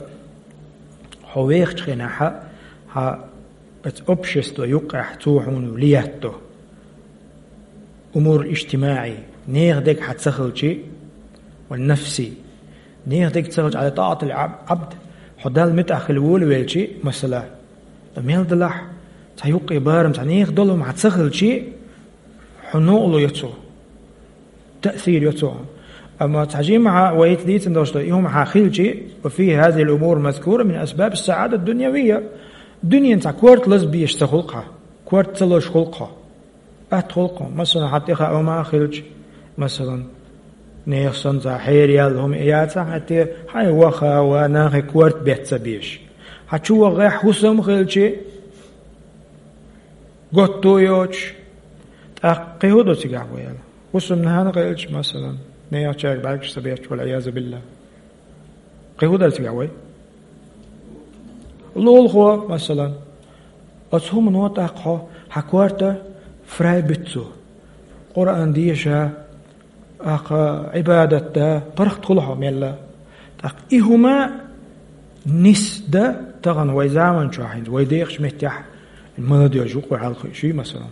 хьо вехачу хенахь, хьан оцу общество юккъехь цо хьуна влиять до. أمور اجتماعية, нехан дерг хьан ца хилчи, والنفسية, нехан дерг ца хилчи, على طاعة العبد, хьо Далла муьтӀахь хила волавелчи, масала, ткъа мел далахь, цхьа юккъе барам, цхьа нехан долу хӀума хьан ца хилчи, хьуна новкъарло йо цо, таъсир йо цо. Амма цхьа жимма хьан вайца дийцина долуш ду, и хӀума хьан хилчи, وفيه هذه الأمور المذكورة من أسباب السعادة الدنيوية, дуьненан цхьа корта лазбеш ца хуьлу хьан, корта ца лозуш хуьлу хьан. Атта хуьлу хьан, масалан, хьан тӀехь хӀума а хилча, масалан, нехан санна цхьа хьераяьлла хӀума а яцахь, хьан те, хьайн ваха а ван, нахе корта бетта ца безаш. Хьан чу вахахь хӀусам а хилчи, готто а йоцуш, тӀаккха кхин хӀун ду цигахь вай аьлла? ХӀусамнана хилча, масалан, нехачаьрга бӀаьргаш ца бетташ, والعياذ بالله. Кхин хӀун дара цигахь вай? Лулахо, масалан. Оцу хӀумано тӀаккха хьо, хьан корта фрай буьту цо. Къуръан деша, тӀаккха Ӏибадат да, паргӀат хуьлу хьо мелла. ТӀаккха и хӀума нисдан тахана вай заман чохь хӀинца, вай дехачу меттехь, молодёжь юкъахь хьалха шуьй, масалан.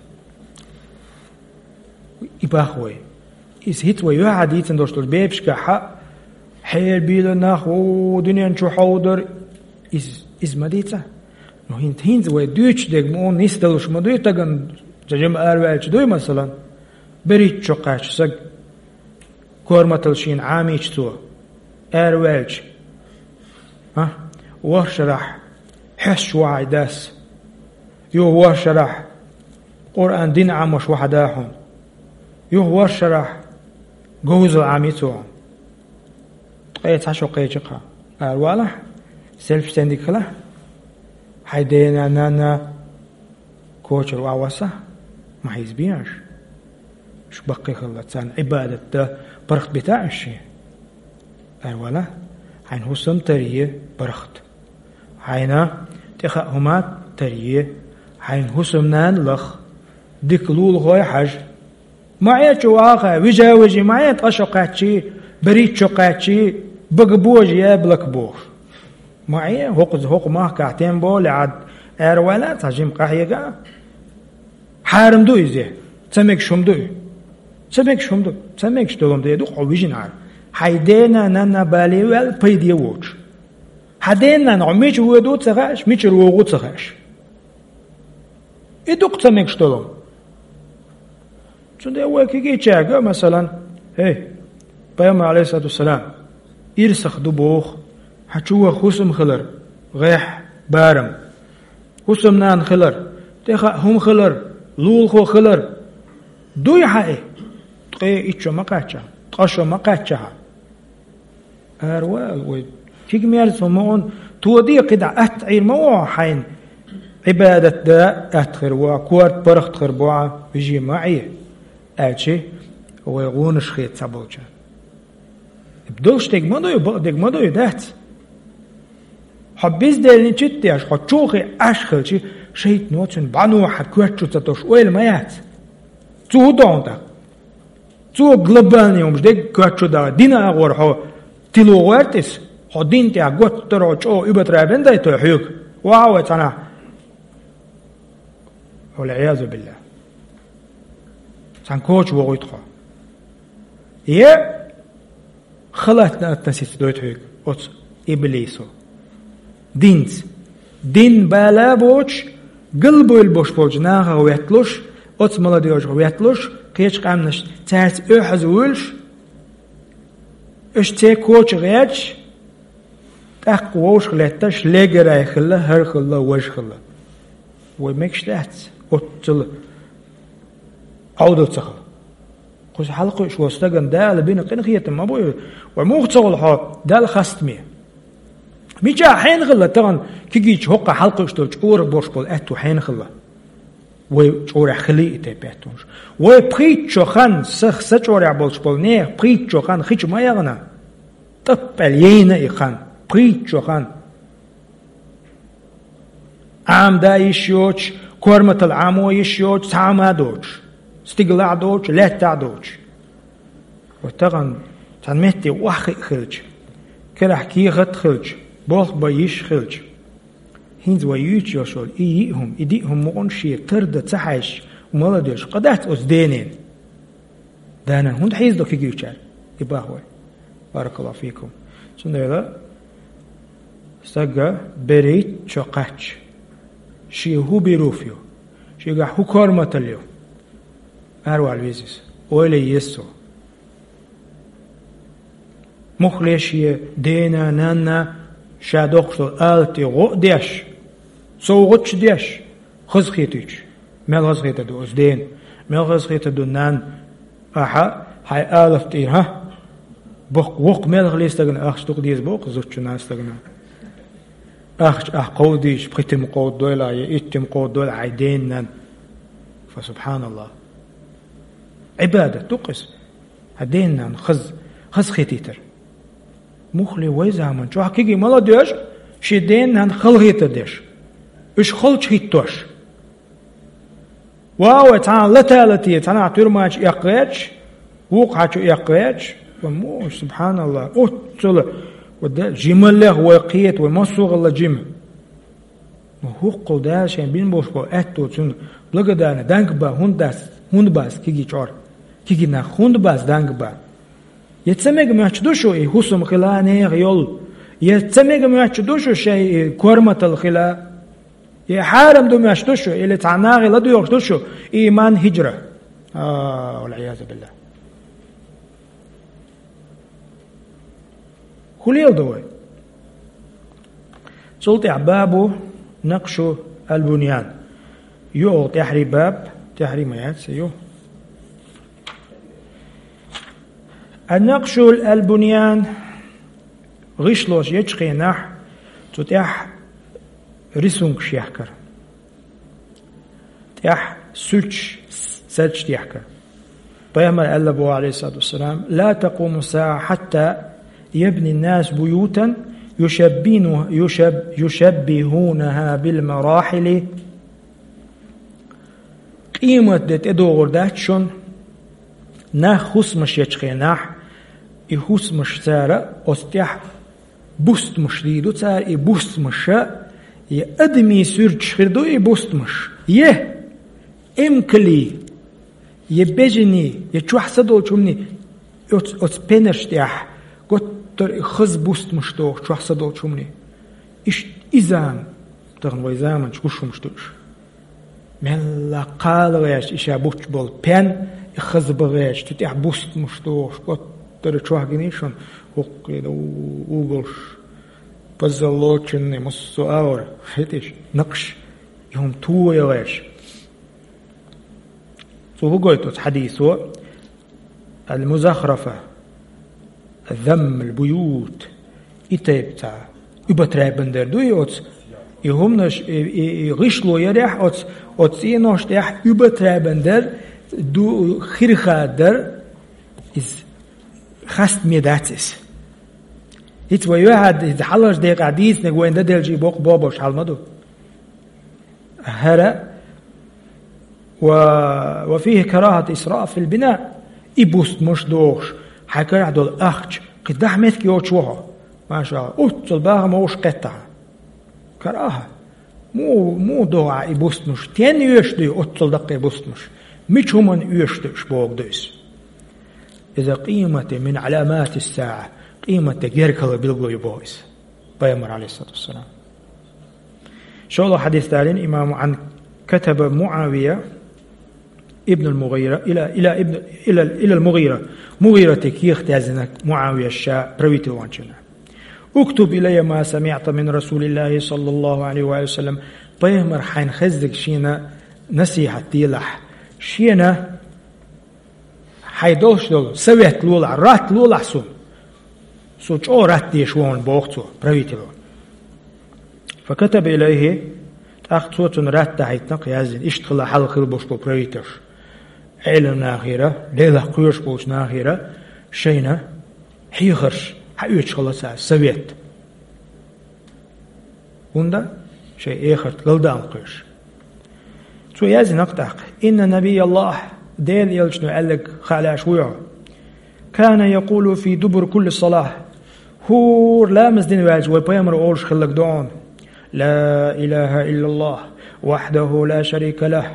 И бах вай. Иза хӀинца вай юьхьа дийцина долуш долу бепашкахь хьа, хьерабийла нах, о, дуьнен чу хьовдар, иза, иза ма дийца. Ну, хӀинца, хӀинца вай дуьйцуш дерг ма, нисдалуш ма дуй, тагана жима араваьлча дуй, масалан, берхӀитта шо кхаьчча саг, корматалла шена Ӏамийча цо, араваьлча, а? ВорхӀ шарахь хьоьстуш ву хьан дас. Юха ворхӀ шарахь Къуръан дин Ӏамош ву хьан да хьуна. Юха ворхӀ шарахь говзалла Ӏамий цо хьуна. Ткъе цхьа шо кхечи-кх хьан. Аравалахь, селфи стендиг хилахь. Хьайн дена, нанна, кочара охьавоссахь, ма хьийзабе аша. Шу баккхий хилла, царна Ӏибадат дан паргӀат бита аша шен. Аравала, хьайн хӀусам таре паргӀат. Хьайна тӀехаа хӀума таре, хьайн хӀусамнана лаха, дика лулахой хьажа. Ма Ӏе чу ваха, вижа-вижи, ма Ӏе ткъа шо кхаьччи, берхӀитта шо кхаьччи, бага божа, яблоко бохуш. Ма Ӏе, хӀокху, хӀокху махкахь тем более Ӏад аравала, цхьа жима къахьега. Хьарам ду иза? Ца мегаш хӀума ду и? Ца мегаш хӀума ду? Ца мегаш долу хӀума де ду хьо вижина Ӏара. Хьайн дена, нанна бале ваьлла пайде воцуш. Хьан дена, нанна хьо мича воьду ца хаьаш, мичара вогӀу ца хаьаш. И ду-кх ца мегаш долу хӀума. Цундела вай кегийчаьрга, масалан, хӀей, Пайхамар, алейхиссалату вассалам, ирсах ду боху, хьан чу ваха хӀусам хилар, гӀехь, барам. ХӀусамнана хилар, тӀехаа хӀума хилар, лулахо хилар. Дуй хьан и? Ткъе итт шо ма кхаьчча, ткъа шо ма кхаьчча хьан. Аравала вай. Киг-мерза хӀума ма ун, тоде кхидӀа атта Ӏийр ма ву хьайна. Ӏибадат дан атта хир ву, корта паргӀат хир бу, вижи ма Ӏе, аьлчи, вай гӀонаш хета ца болча. Долуш дерг ма дуй, бакъдерг ма дуй, дац. Хьо бездельничать деш, хьо чулхе Ӏаш хилчи, шайтано цуьнан бӀаьно хьан коьрта чу ца тосуш ойла ма яц. Цо хӀун до хьуна тӀаккха? Цо глобальный хӀумаш дерг коьрта чу даха, дина агӀор хьо тило гӀоьртис, хьо дин тӀехь готтара хьо чӀогӀа уьбатара бен дайтой хьоьга. Ваха вай цхьанахь. Валъиязу биллахӀ. Цхьана коча вогӀуьйту хьо. Е халатна относиться дойту хьоьга оцу иблисо. Динца. Дин бала боцуш, галбевлла бош болчу нахах ветталуш, оцу молодёжах ветталуш, кхечу къаьмнаш цаьрца оьхьаза вуьйлуш, уьш церан коча гӀерташ, тӀаккха вовшах летташ, легарай хилла, хӀара хилла, важа хилла. Вай мегаш дац, оццул Ӏовдал ца хила. Кхуза хьалакхуьуш волу стагана Дала бина къинхетам ма бу и, вай муха ца хуьлу хьо Далла хастаме? Мича хьенахалла тахана кигича хӀокха хьалкхуьш долчу чӀорах борш болу аьтту хьенахалла? Вай чӀорехь хилий и тайпа аьттонаш? Вай пхийтта шо хан сах са чӀорехь болуш болу нехан пхийтта шо хан хича ма яхана? ТӀаппаьл яйна и хан, пхийтта шо хан. Ӏамда йиш йоцуш, корматал Ӏамо йиш йоцуш, цхьа а ма доцуш, стигалахь доцуш, лаьттахь доцуш. Вай тахана цхьана метте охьахиъ хилча, карахь кехат хилча, болх бан йиш хилча, хӀинца вай юьйцуш йолуш йолу и йиъ хӀума, и диъ хӀума мукъана шен тардан ца хьаьжча, мала деш, къа дац оцу денен. Данан хӀунда хьийзадо кигичара? И бах вай. Баракаллаху фикум. Цундела стага берриг чо кхаьчча, шен хӀун бир ву ю, шегахь хӀун корматал ю, аравала веза иза. Ойла еза цо. Муххале шен дена, нанна ша доккхуш долу алатан гӀо а деш, совгӀаташ а деш, хазахетуьйтуш. Мел хазахетар ду оцу дена? Мел хазахетар ду нанна? Ахьа, хьайн алапа тӀера, хӀа? Боккха воккха мел хилий стагана ахча дукха деза боху зудчунна стагана. Ахча ахь кховдийча, пхи тима кховдадойла, я итт тима кховдадойла хьайн дена, нанна. Фа субханаллах. Ӏибадат ду-кх иза. Хьан дена, нанна хаз-, хазахетийтар. Муххале вай заман чохь кегий мала деш, шен дена, нанна халахетар деш, уьш халчу хӀиттош. Ва вай цхьана лата лате, цхьанхьа туьрмачу эккха гӀерташ, вукху хьачу эккха гӀерташ, ва муш, субханаллах, оццула, ва да, жималлех вай кхета, вай массо а гӀалла жима. Ну, хӀоккхул Дала шайн бина болуш болу аьтту цунна благодарна, данг бан, хӀунда дац, хӀунда бац кегий чӀор, кегий нах, хӀунда бац данг бан? Я ца мега моьттуш ду шу и хӀусам хила нехан йолу? Я ца мега моьттуш ду шу шайн и корматал хила? Я хьарам ду моьттуш ду шу, или цхьа нахе ладоьгӀуш ду шу иман, хӀижра? А, валӀиязу биллахӀ. ХӀун леладо вай? Цул тӀаьхьа бабу накъшу аль-буньян. Ю оха тӀаьхьарий баб, тӀаьхьарий ма яц, ю. Ан-накъшу аль-буньян, гӀишлош ечу хенахь, цу тӀехь рисункаш яхкар. ТӀехь суьрташ, сардаш дехкар. Пайхамар аьлла боху, алейхиссалату вассалам: «Ла такуму саа хатта ябни нас буютан юшаббину-, юшаб-, юшаббихунаха бил марахили». Къемат де тӀедогӀур дац шун, нах хӀусамаш ечу хенахь, и хӀусамаш цара оцу тӀехь бустамаш дийр ду цара, и бустамаша, я адамийн суьрташ хир ду и бустамаш, я эмкалий, я бежаний, я чохь са долчу хӀуманий, оц-, оцу пенарш тӀехь, готтара и хаза бустамаш доху чохь са долчу хӀуманий. Иштта и зама, тахана вай заманчу гуш хӀумаш ду уьш. Мелла кхала гӀерташ, и ша буч болу пен, и хаза бан гӀерташ, цу тӀехь бустамаш дохуш, готтара чохь гиний шуна, хӀокху у-, угӀалш, позолоченный, массо а агӀор, хеташ, накъш, и хӀума тоя гӀерташ. Цо хӀун гойту оцу хьадисо? Аль-музахрафа, замм аль-буют, и тайпа цхьа уьбатрайбан дар ду и оцу, и хӀуманаш, и, и, и гӀишло ярехь оцу, оцу цӀенош тӀехь уьбатрайбан дар ду, хирха дар, иза хастаме дац иза. ХӀинца вай юьхьад, иза хьалхарчу декъехь дийцинарг вайна дан делча и боккха бобуш хьал ма ду. ХӀара, ва, ва фихи карахат исраф фил бина, и бустамаш дохуш, хьайн карахь долу ахча, кхин дахьа меттиг йоцуш ву хьо. Маша Аллах, оццул бахам вовшах кхеттахьа. Караха. Муха, муха доху ахьа и бустамаш? Стенна оьшуш ду и оццул даккхий бустамаш? Мича хӀуманна оьшуш ду уьш бохург ду иза? Иза къемате мин Ӏаламатис саа, къемате гергахалла билгало ю боху иза. Пайхамар, алейхиссалату вассалам. ШолгӀа хьадис далийна имамо: «Ан катаба Муавия ибн аль-Мугъира, ила, ила ибн, ила, ила аль-Мугъира». Мугъирате кехат яздина Муавия ша правитель ванчунна. «Уктуб илайя ма самиъта мин Расулиллахи саллаллаху алейхи ва саллям». Пайхамар хьайна хезниг шена насихьат делахь. Шена хьайн долуш долу совет лолахь, ратт лолахь суна. Со чӀогӀа ратт деш ву хьуна, боху цо, правитело. فكتب إليه, тӀаккха цо цунна ратт дахьийтина, яздина, иштта хила хьал хила болуш болу правительш. Ӏелам нахера, Делах кхоьруш болчу нахера шайна хьехарш хьаоьцуш хилла цара, совет. ХӀунда? Шайн эхарт галдаална кхоьруш. Цо яздина тӀаккха: إن نبي الله, Делан элчано аьлларг хаа лаьаш вуй хьо. كان يقول في دبر كل صلاة, хӀора ламаз дина ваьлча вай пайхамар олуш хилларг ду хьуна: لا إله إلا الله وحده لا شريك له،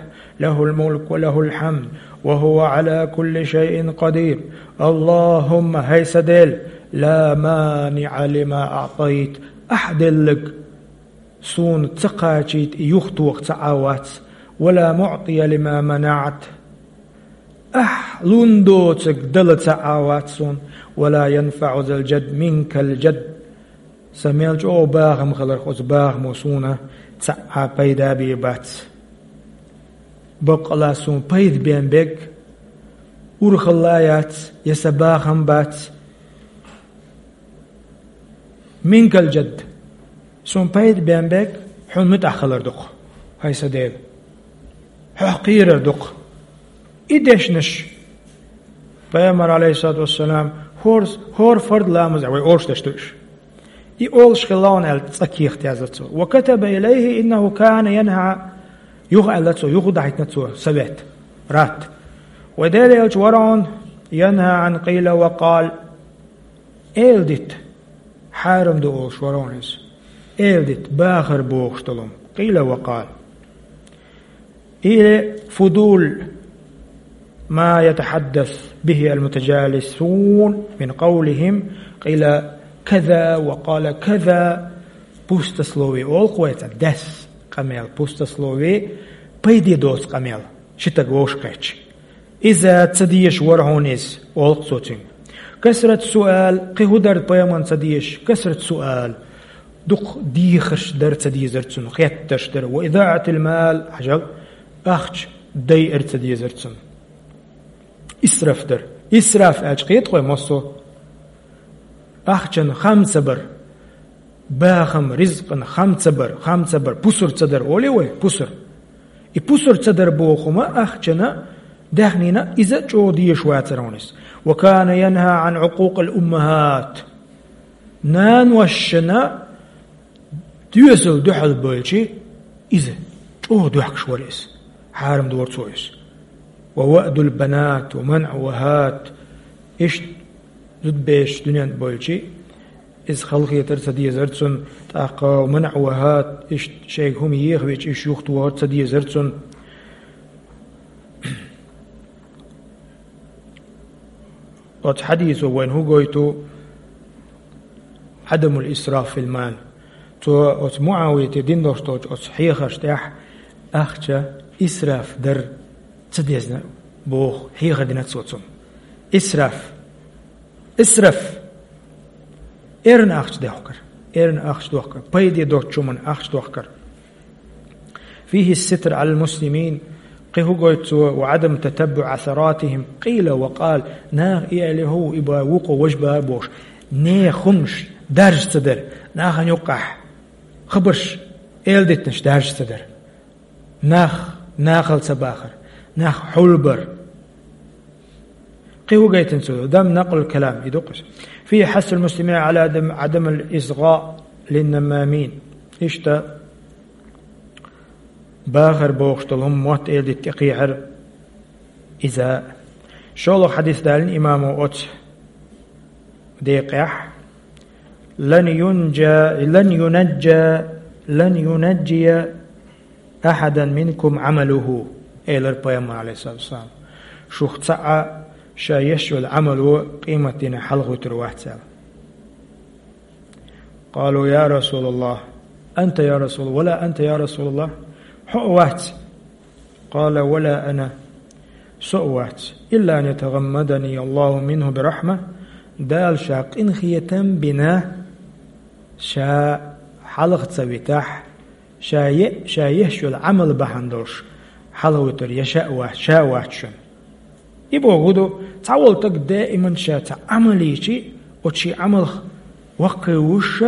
له الملك وله الحمد وهو على كل شيء قدير. اللهم, хӀай сан Дела, لا مانع لما أعطيت, ахь делларг суна ца кхачийта и юхатоха цхьа а вац, ولا معطي لما منعت, ахь лун доцург дала цхьа а вац суна, ولا ينفع ذا الجد منك الجد, сан мел чӀогӀа бахам хиларх, оцу бахамо суна цхьа а пайда бийр бац. Баккъала суна пайда бен берг урхалла яц, я сан бахам бац. منك الجد. Суна пайда бен берг хьуна муьтӀахь хилар ду-кх, хӀай сан Дела. Хьох кхерар ду-кх. И дешнаш, пайхамар, عليه الصلاة والسلام, хӀор-, хӀора фард ламаз, вай олуш деш ду уьш. И олуш хилла хьуна аьлла, цкъа кехат яздо цо. وكتب إليه أنه كان ينهى, юха аьлла цо, юха дахьийтина цо совет, ратт. Вай Делан элча вара хьуна ينهى عن قيل وقال, эладита хьарам ду олуш вара хьуна иза. Эладита, бахар бохуш долу хӀума. قيل وقال. Или فضول ما يتحدث به المتجالسون من قولهم قيل كذا وقال كذا. Пустословие олу-кх вай цхьа, дас къамел, пустословие, пайде доцу къамел, ши стаг вовшах кхетча. Иза ца дезаш вара хьуна иза, олу-кх цо цуьнга. كثرة السؤال, кхин хӀун дара пайхамарна ца дезаш, كثرة السؤال, дукха дехарш дара ца дезар цунна, хеттарш дара. وإضاعة المال, хьажал, ахча дайар ца дезар цунна. Исраф дара. Исраф аьлча кхета-кх вай массо а? Ахчан хам ца бар. Бахам, ризкъан хам ца бар, хам ца бар, пусар ца дар олий вай, пусар. И пусар ца дар боху хӀума ахчана, даьхнина, иза чӀогӀа дезаш вацара хьуна иза. وكان ينهى عن عقوق الأمهات. Наношна доьзал дуьхьал бевлча, иза чӀогӀа доьхкуш вара иза. Хьарам дора цо иза. ووأد البنات ومنع وهات. Иштта зудабераш дуьнен тӀе бевлча, иза халахетар ца дезара цунна, тӀаккха منع وهات, иштта шайга хӀума ехавича, уьш юхатохар ца дезара цунна. Оцу хьадисо вайна хӀун гойту? عدم الإسراف في المال. Цо оцу МуӀавияте дина долуш долчу оцу хьехарш тӀехь ахча исраф дар ца дезна боху, хьехар дина цо цунна. Исраф. Исраф. Эрна ахча дохкар. Эрна ахча дохкар. Пайде доцучу хӀуманна ахча дохкар. فيه الستر على المسلمين. Кхин хӀун гойту цо? وعدم تتبع عثراتهم. قيل وقال. Наха и аьлла хӀу, и бан вукхо важа бан бохуш. Нехан хӀуманаш даржа ца дара. Нахана юккъехь хабарш, эладитанаш даржа ца дара. Нах, нахал ца бахар, нах хьулбар. Кхин хӀун гайтина цо? عدم نقل الكلام, и ду-кх иза. فيه حث المسلمين على عدم، عدم الإصغاء للنمامين. Иштта бахар бохуш долу хӀума мотт эладита тӀекхехьар иза. ШолгӀа хьадис далийна имамо оцу декъехь: لن ينجى، لن ينجى، لن ينجي أحدا منكم عمله, элира пайхамар, عليه الصلاة والسلام. Шух цхьа а ша еш йолу Ӏамало къематдийнахь хьалхавуьтур вац аьлла. قالوا: يا رسول الله، أنت يا رسول، ولا أنت يا رسول الله؟ Хьо а вац. قال: ولا أنا. Со а вац. إلا أن يتغمدني الله منه برحمة. Дала ша къинхетам бина, ша хьалха ца витахь, ша е-, ша еш йолу Ӏамал бахьана долуш хьалхавуьтур я ша а вац, ша а вац шуна. И бохург ду, цхьаволу стаг даиман ша цхьа Ӏамал йичи, оцу шен Ӏамалх ваккхий вуьйш,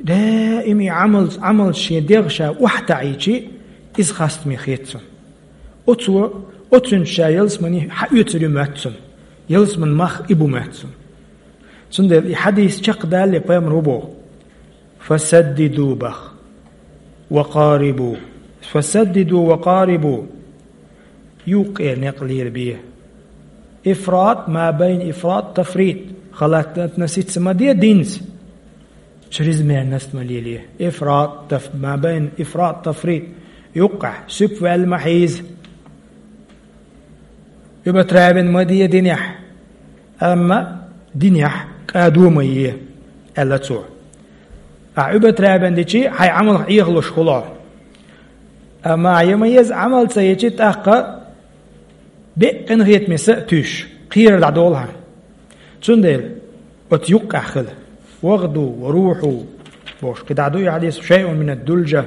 Даим и Ӏамалц-, Ӏамалца шен дегӀ ша охьатаӀийчи, иза хастаме хет цунна. Оцо, оцуьнца ша ялсамани хьаоьцур ю моьтту цунна. Ялсаман мах и бу моьтту цунна. Цундела и хьадис чекхдалале пайхамар хӀун боху: «Фасаддиду», бах, «ва къарибу». «Фасаддиду ва къарибу». Юккъе некъ лелабе. Ифрат, ма байна ифрат, тафрит. Халатна сица ма де динца. Чрезмерность ма лелае. Ифрат, таф-, ма байна ифрат, тафрит. Юккъехь, суьпа ваьлла ма хьийза. Уьбатравен ма де динехь. Амма динехь кӀадо ма е, аьлла цо. Ахь уьбатравен дичи, хьайн Ӏамалх Ӏехалуш хуьлу. Амма я ма еза Ӏамал ца ечи, тӀаккха беккъина хетаме са а туьйсуш, кхерар дӀадолу хьан. Цундела оцу юккъехь хила. «Вагъду ва рухьу», бохуш, кхидӀа ду и хьадис, «шайъун мин ад-дулжа».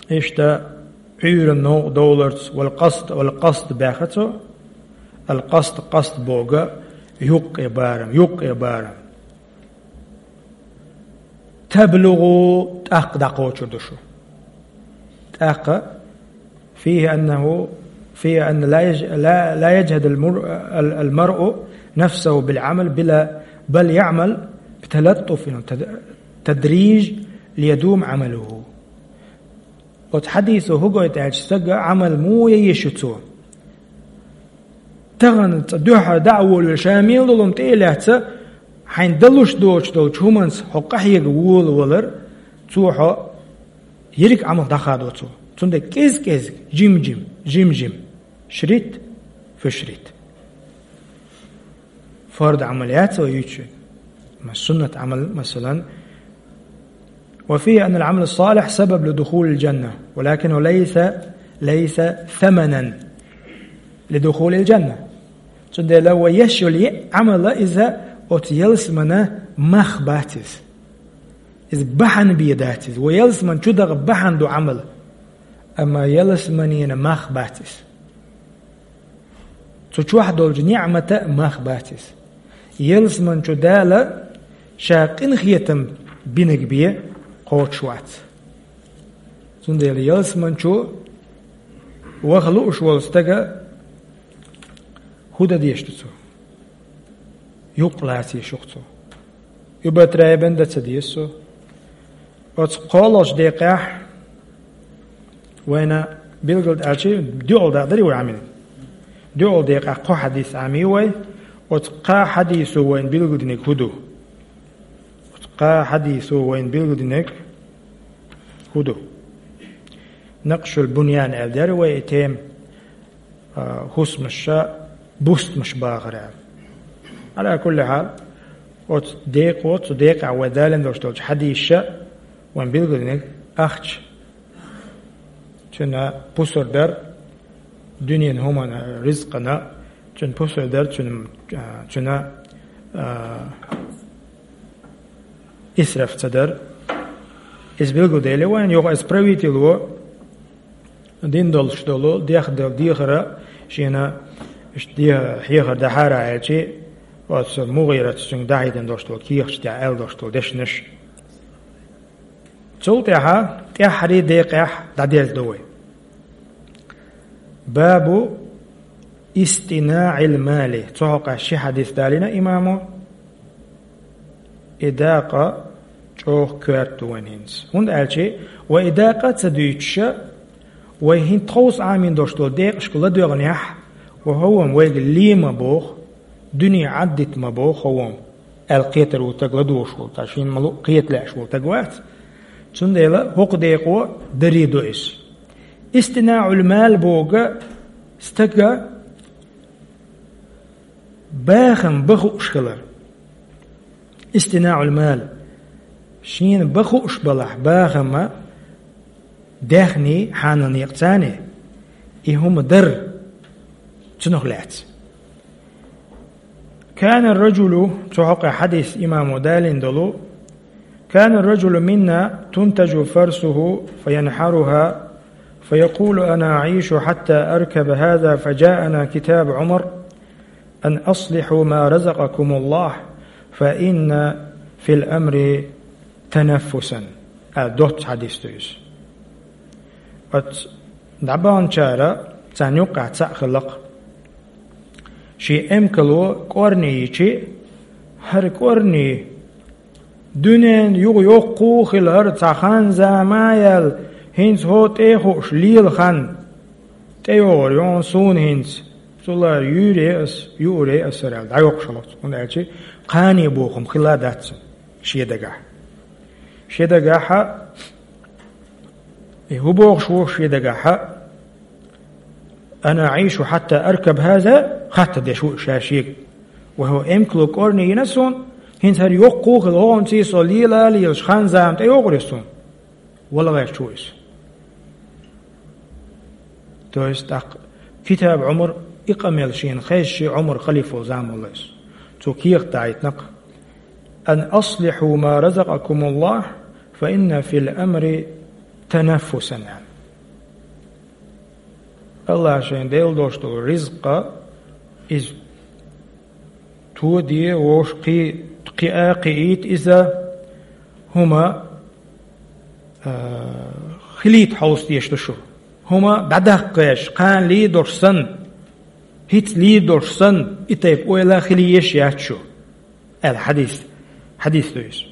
Иштта Ӏуьйранна новкъа довларца, «вал къаст», «вал къаст» баьхна цо, «ал къаст», къаст боху юккъе барам, юккъе барам. «Таблугъу», тӀаккха дӀакхочур ду шу. ТӀаккха: «فيه أنه، فيه أن لا يج-، لا، لا يجهد المر-، ال-، المرء نفسه بالعمل بلا، بل يعمل بتلطف، تد-، تدريج ليدوم عمله». Оцу хьадисо хӀун гойту аьлча, стага Ӏамал муха ян еза шу цо? Тахана цкъа дуьххьара дӀа а волавелла, ша мел долу хӀума тӀе а лаьцна, хьайна далуш доцуш долчу хӀуманца хьо къахьега волавалар, цо хьо ерриг Ӏамалх дӀахадо цо. Цундела кӀез-кӀезиг, жим-жим, жим-жим, шрит фу шрит. Фард Ӏамал яц вай юьйцуш? Ма суннат Ӏамал, масалан, «وفيه أن العمل الصالح سبب لدخول الجنة، ولكنه ليس، ليس ثمنا لدخول الجنة». Цундела вай еш йолу е Ӏамала иза оцу ялсамана мах бац иза. Иза бахьана бен дац иза. Вай ялсаман чу даха бахьана ду Ӏамал. Амма ялсаманина мах бац иза. Цу чохь долчу ниӀмата а мах бац иза. Ялсаман чу Дала ша къинхетам бинарг бен кхочуш вац. Цундела ялсаман чу ваха лууш волу стага хӀун дан дезаш ду цо? Юкъ лаца еза шу-кх цо. Уьбатравен дан ца деза цо. Оцу кхоалгӀачу декъехь вайна билгал даьлчи, доьалгӀа дакъа дарий вай Ӏамийна? ДоьалгӀа декъехь кхо хьадис Ӏамий вай. Оцу кхаа хьадисо вайна билгалдинарг хӀун ду? Оцу кхаа хьадисо вайна билгалдинарг хӀун ду? Накъшул буньян аьлла дара вай и тема. А, хӀусамаш, бустамаш бахара. Ӏала кулли хьал, оцу декъо, цу декъехь вай далийна долуш долчу хьадисаша вайн билгалдинарг ахча. Цуьнан пусар дар дуьненан хӀуманна, ризкъана, цуьнан пусар дар, цуьнан, а, цуьнан, а, исраф ца дар. Иза билгалдели вайна, юха иза правительо дина долуш долу, дехна долу дехар а шена иштта де-, хьехар дахьара аьлчи, оцу МугӀирата цуьнга дӀахьедина долуш долу кехаташ тӀехь аьлла долуш долу дешнаш. Цул тӀаьхьа тӀаьххьарий декъехь дӀадерзадо вай. Бабу истинаӀил мали. Цу хьокъехь ши хьадис далийна имамо. И дакъа чӀогӀа коьрта ду вайн хӀинца. ХӀунда аьлча вай и дакъа а ца дуьйцуша, вай хӀинца тховса Ӏамийна долуш долу декъашка ладоьгӀнехь, вай хӀокхо вайга ле ма боху, дуьне Ӏаддита ма боху хӀокхо, аьлла кхетар ву стаг ладугӀуш волу, ткъа шена ма-луъу кхета лаьаш волу стаг вац. Цундела хӀокху декъо даре до иза. ИстинаӀул мал боху стага бахам бан хууш хилар. ИстинаӀул мал. Шена бан хууш балахь бахам а, даьхний, хьанал некъаца, и хӀума дар, цунах лаьцна. Кана ар-раджулу, цу хьокъехь хьадис имамо далийна долу, كان الرجل منا تنتج فرسه فينحرها فيقول: أنا أعيش حتى أركب هذا، فجاءنا كتاب عمر أن أصلحوا ما رزقكم الله، فإن في الأمر تنفسا. А, доцца хьадис ду иза. Оцу дӀабаханчара царна юккъехь цхьаъ хилла-кх. Шен эмкало кӀорни йичи, хӀара кӀорни дуьненан юха йоккхо а хилла, хӀара цхьа хан-зама а яьлла, хӀинца хӀокху тӀе а хууш лела хан тӀейогӀур ю хьуна суна хӀинца, цул а юьйр е ас, юур е ас хӀара аьлла, дӀайоккхуш хилла-кх цо, хӀунда аьлча кхане бохам хилла дац цуьнан шен дагахь. Шен дагахь, и хӀун бохуш ву шен дагахь, أنا أعيش حتى أركب هذا, хаттар деш ву ша шега. Вай хӀокху эмкало кӀорни йина суна, хӀинца хӀара йоккхо а хилла, хӀокхунца со лела а лелаш хан-зама тӀейогӀур ю суна. Вала гӀерташ ву иза. То есть, тӀаккха Китаб Ӏумар и къамел шена хезча, Ӏумар халифа волу зама вала иза. Цо кехат дахьийтина-кх: أن أصلحوا ما رزقكم الله فإن في الأمر تنفسا. АллахӀа шайна делла долуш долу ризкъ, иза тоде, вовшах кхи-, кхиа, кхиийта иза, хӀума, а, хилийта хьовса дезаш ду шу. ХӀума дӀадаккха гӀерташ, кхана лийр долуш санна, хӀинца лийр долуш санна, и тайпа ойла хила езаш яц шу, аьлла хьадис, хьадис ду иза.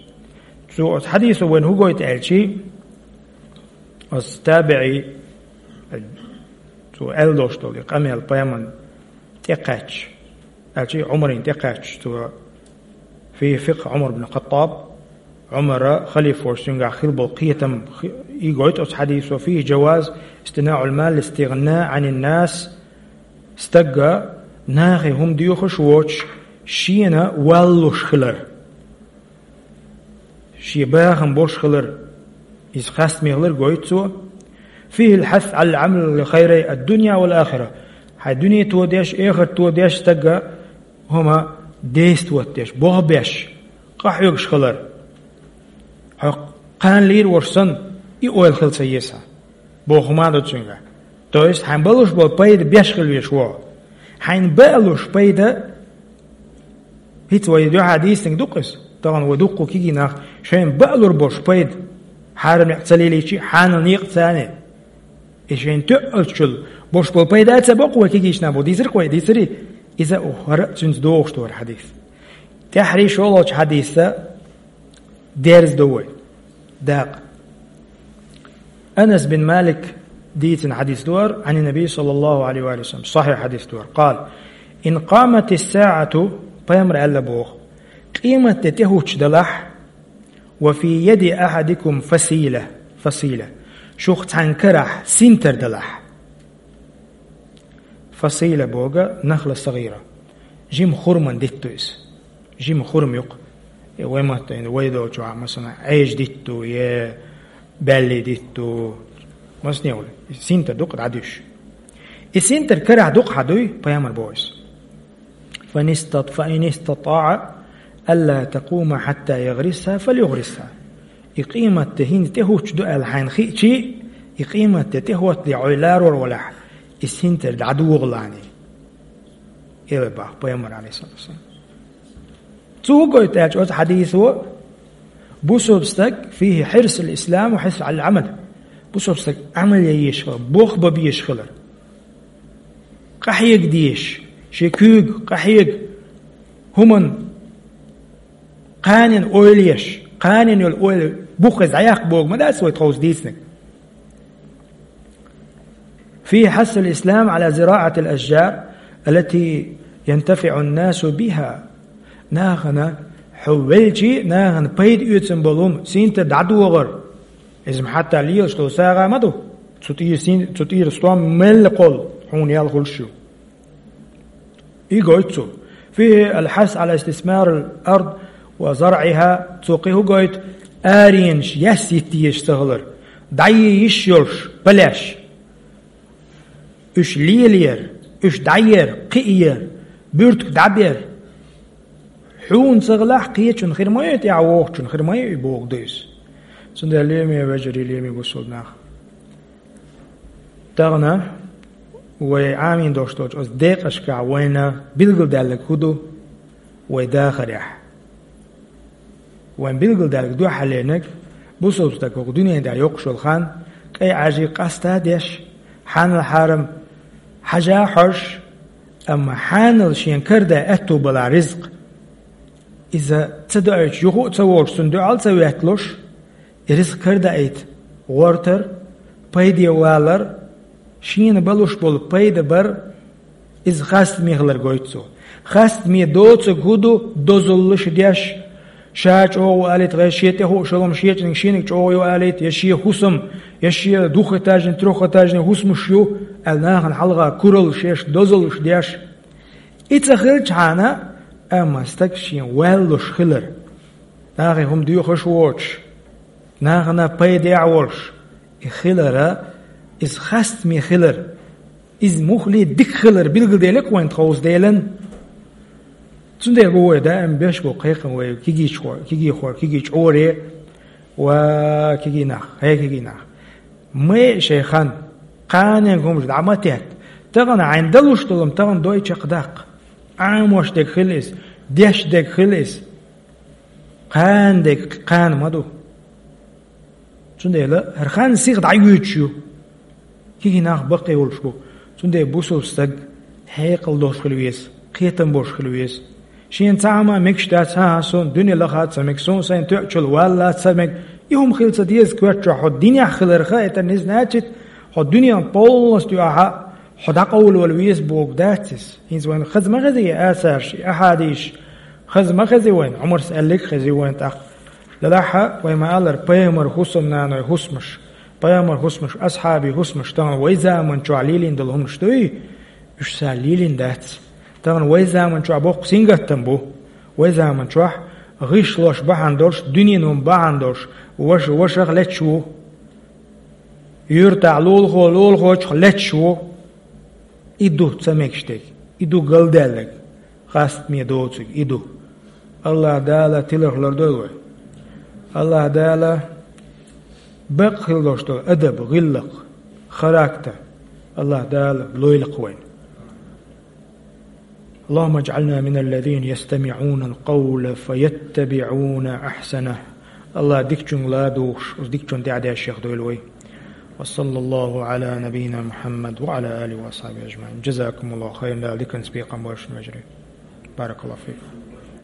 Цо оцу хьадисо вайна хӀун гойту аьлча, оцу табиӀи, цо аьлла долуш долу и къамел пайхамарна тӀекхаьчча, аьлча Ӏумарна тӀекхаьчча, цо في فقه عمر بن الخطاب, Ӏумара халифа волуш цуьнгахь хилла болу кхетам хи-, и гойту оцу хьадисо: فيه جواز اصطناع المال للاستغناء عن الناس, стага нахе хӀума доьхуш воцуш, шена валлуш хилар. Шен бахам болуш хилар, иза хастаме хилар гойту цо. فيه الحث على العمل لخيري الدنيا والآخرة. Хьайн дуьне тодеш, эхарт тодеш стага хӀума действовать деш, болх беш, къахьоьгуш хилар. Хьо кхана лийр волуш санна, и ойла хила ца еза хьан. Боху хӀума а ду цуьнгахь. То есть, хьайн балуш болу пайда беш хила везаш ву хьо. Хьайн баалуш пайда, хӀинца вай дуьхьа дийцинарг ду-кх иза, тахана вай дуккха кегий нах, шайна баалур болуш пайда, хьарам некъ ца лелийча, хьанал некъ ца яьлча, и шайна тоьаллачул болуш болу пайда а ца боккху вай кегийчу нах бу, дийцира-кх вай, дийцирий? Иза а хӀара а цуьнца догӀуш ду хӀара хьадис. ТӀаьххьара шолгӀачу хьадиса дерза ду вай дакъа. Анас бин Малик дийцина хьадис ду хӀара, عن النبي صلى الله عليه وآله وسلم, сахьихь хьадис ду хӀара. قال: إن قامت الساعة, пайхамара аьлла боху, къематде тӀехӀуттуш далахь, وفي يد أحدكم فصيلة, فصيلة, шух цхьана карахь синтар далахь. Фасила боху нахла сагӀира. Жима хурман дитт ду иза. Жима хурма ю-кх. Э, вай матта, вай долчохь, масала, Ӏежа дитт ду, е баьлли дитт ду. Масане ву, синтар дукха дӀадуьйш. И синтар карахь дукха хьан дуй, пайхамар боху иза. فإن استط-، فإن استطاع ألا تقوم حتى يغرسها فليغرسها. И къематде хӀинца тӀехӀуттуш ду аьлла хьайна хиъчи, и къематде тӀехӀоттале Ӏой ларор валахь, и синтар дӀадогӀалани. Эле бах пайхамар, алейхиссалату вассалам. Цо хӀун гойту аьлча оцу хьадисо, бусалба стаг فيه حرص الإسلام وحرص على العمل. Бусалба стаг Ӏамал ян езаш хилар, болх бан безаш хилар. Къахьега дезаш, шен куьйга къахьега, хӀуманна кханенна ойла еш, кханенна йолу ойла буххеза дӀаяккха боху ма дац вай тховса дийцинарг. فيه حث الإسلام على زراعة الأشجار التي ينتفع الناس بها. Нахана хьо велчи, нахана пайда оьцун болу хӀума синтар дӀадогӀар. Иза ма хьатта лелаш долу сагӀа ма ду. Цу тӀера син-, цу тӀера стом мелла кхолла хьуна ял хуьлуш ю. И гойту цо. فيه الحث على استثمار الأرض وزرعها. Цо кхин хӀун гойту? Аренаш яс йитта езаш ца хилар. ДӀае йиш йолуш, палеш. Уьш лелаяр, уьш дӀаяр, кхиаяр, буьртиг дӀабер. Хьуна ца хилахь, кхечун хир ма ю, тӀаьхьа вогӀучун хир ма ю, и боху ду иза. Цундела леми вежарий, леми бусалба нах. Тахана вай Ӏамийна долуш долчу оцу декъашкахь вайна билгалдаьлларг хӀун ду вай дахарехь? Вайн билгалдаьлларг дуьхьал леринарг, бусалба стаг хӀокху дуьнен тӀехь йоккхуш йолу хан, къе Ӏажий къаста а деш, хьанал-хьарам хьажа а хьожуш, амма хьанал шена карадан аьтту балахь ризкъ, иза ца доуьйтуш, юха а ца волуш, цунна дуьхьал а ца ветталуш, и ризкъ карадаийта гӀортар, пайде валар, шена балуш болу пайда бар, иза хастаме хилар гойту цо. Хастаме доцург хӀун ду? Дозаллаш деш, ша чӀогӀа ву алийта, гӀай шен тӀехуъу шолгӀам шечуниг шиниг чӀогӀа ю алийта, я шен хӀусам, я шен двухэтажный, трёхэтажный хӀусамаш ю аьлла, нахана хьалха куралла шеш, дозаллаш деш. И ца хилчхьана, амма стаг шен ваьллуш хилар, нахе хӀума доьхуш воцуш, нахана пайдехь а волуш, и хилара, иза хастаме хилар, иза муххале дика хилар билгалделира вайн тховса Делан. Цундела бу вай даим беш бу кхайкхам вай кегийчхор-, кегийхор-, кегий чкъоре: «Ва кегий нах, хӀей кегий нах, ма яа шайн хан, кханенга хӀумаш дӀа ма тетта. Тахана хьайна далуш долу-м тахана дой чекхдаккха. Ӏамош дерг хила иза, деш дерг хила иза. Кхана дерг кхана ма ду». Цундела хӀара хан сиха дӀайоьдуш ю. Кегий нах баккхий волуш бу. Цундела бусалба стаг хьекъал долуш хила веза, кхетам болуш хила веза. Шена цхьа а хӀума мегаш дац: «ХӀан-хӀа, суна дуьне лаха а ца мега, суна сайн тоьачул валла а ца мега». И хӀума хила ца деза коьрта чохь, хьо динехь хиларх а, это не значит, хьо дуьненах полностью ахьа хьо дӀакъовлавала веза бохург дац иза. ХӀинца вайна хаза ма хези и асарш, и ахьадисаш, хаза ма хези вайна, Ӏумарс аьлларг а хези вайна тӀаккха. Делахь а вай ма-аллара, пайхамар хӀусамнаной хӀусамаш, пайхамар хӀусамаш, асхьабий хӀусамаш тахана вай заман чохь лелийна долу хӀуманаш дуй? Уьш цара лелийна дац. Тахана вай заман чохь боккха сингаттам бу. Вай заман чохь гӀишлош бахьана долуш, дуьненан хӀума бахьана долуш, ваша вашах леташ ву, юьртахь лулахо лулахочух леташ ву. И ду ца мегаш дерг, и ду галдаьлларг, хастаме доцург и ду. АллахӀ Дала тиларх лардойла вай. АллахӀ Дала бакъ хила долуш долу адаб, гӀиллакх, характер АллахӀ Дала лойла-кх вайна. اللهم اجعلنا من الذين يستمعون القول فيتبعون أحسنه. АллахӀ дикачуьнга ладугӀуш, оцу дикачунна тӀаьхьа дешшех дойла вай. وصلى الله على نبينا محمد وعلى آله وأصحابه أجمعين. جزاكم الله خيرا. Дала диканца бекхам бойла шун, вежарий. بارك الله فيكم.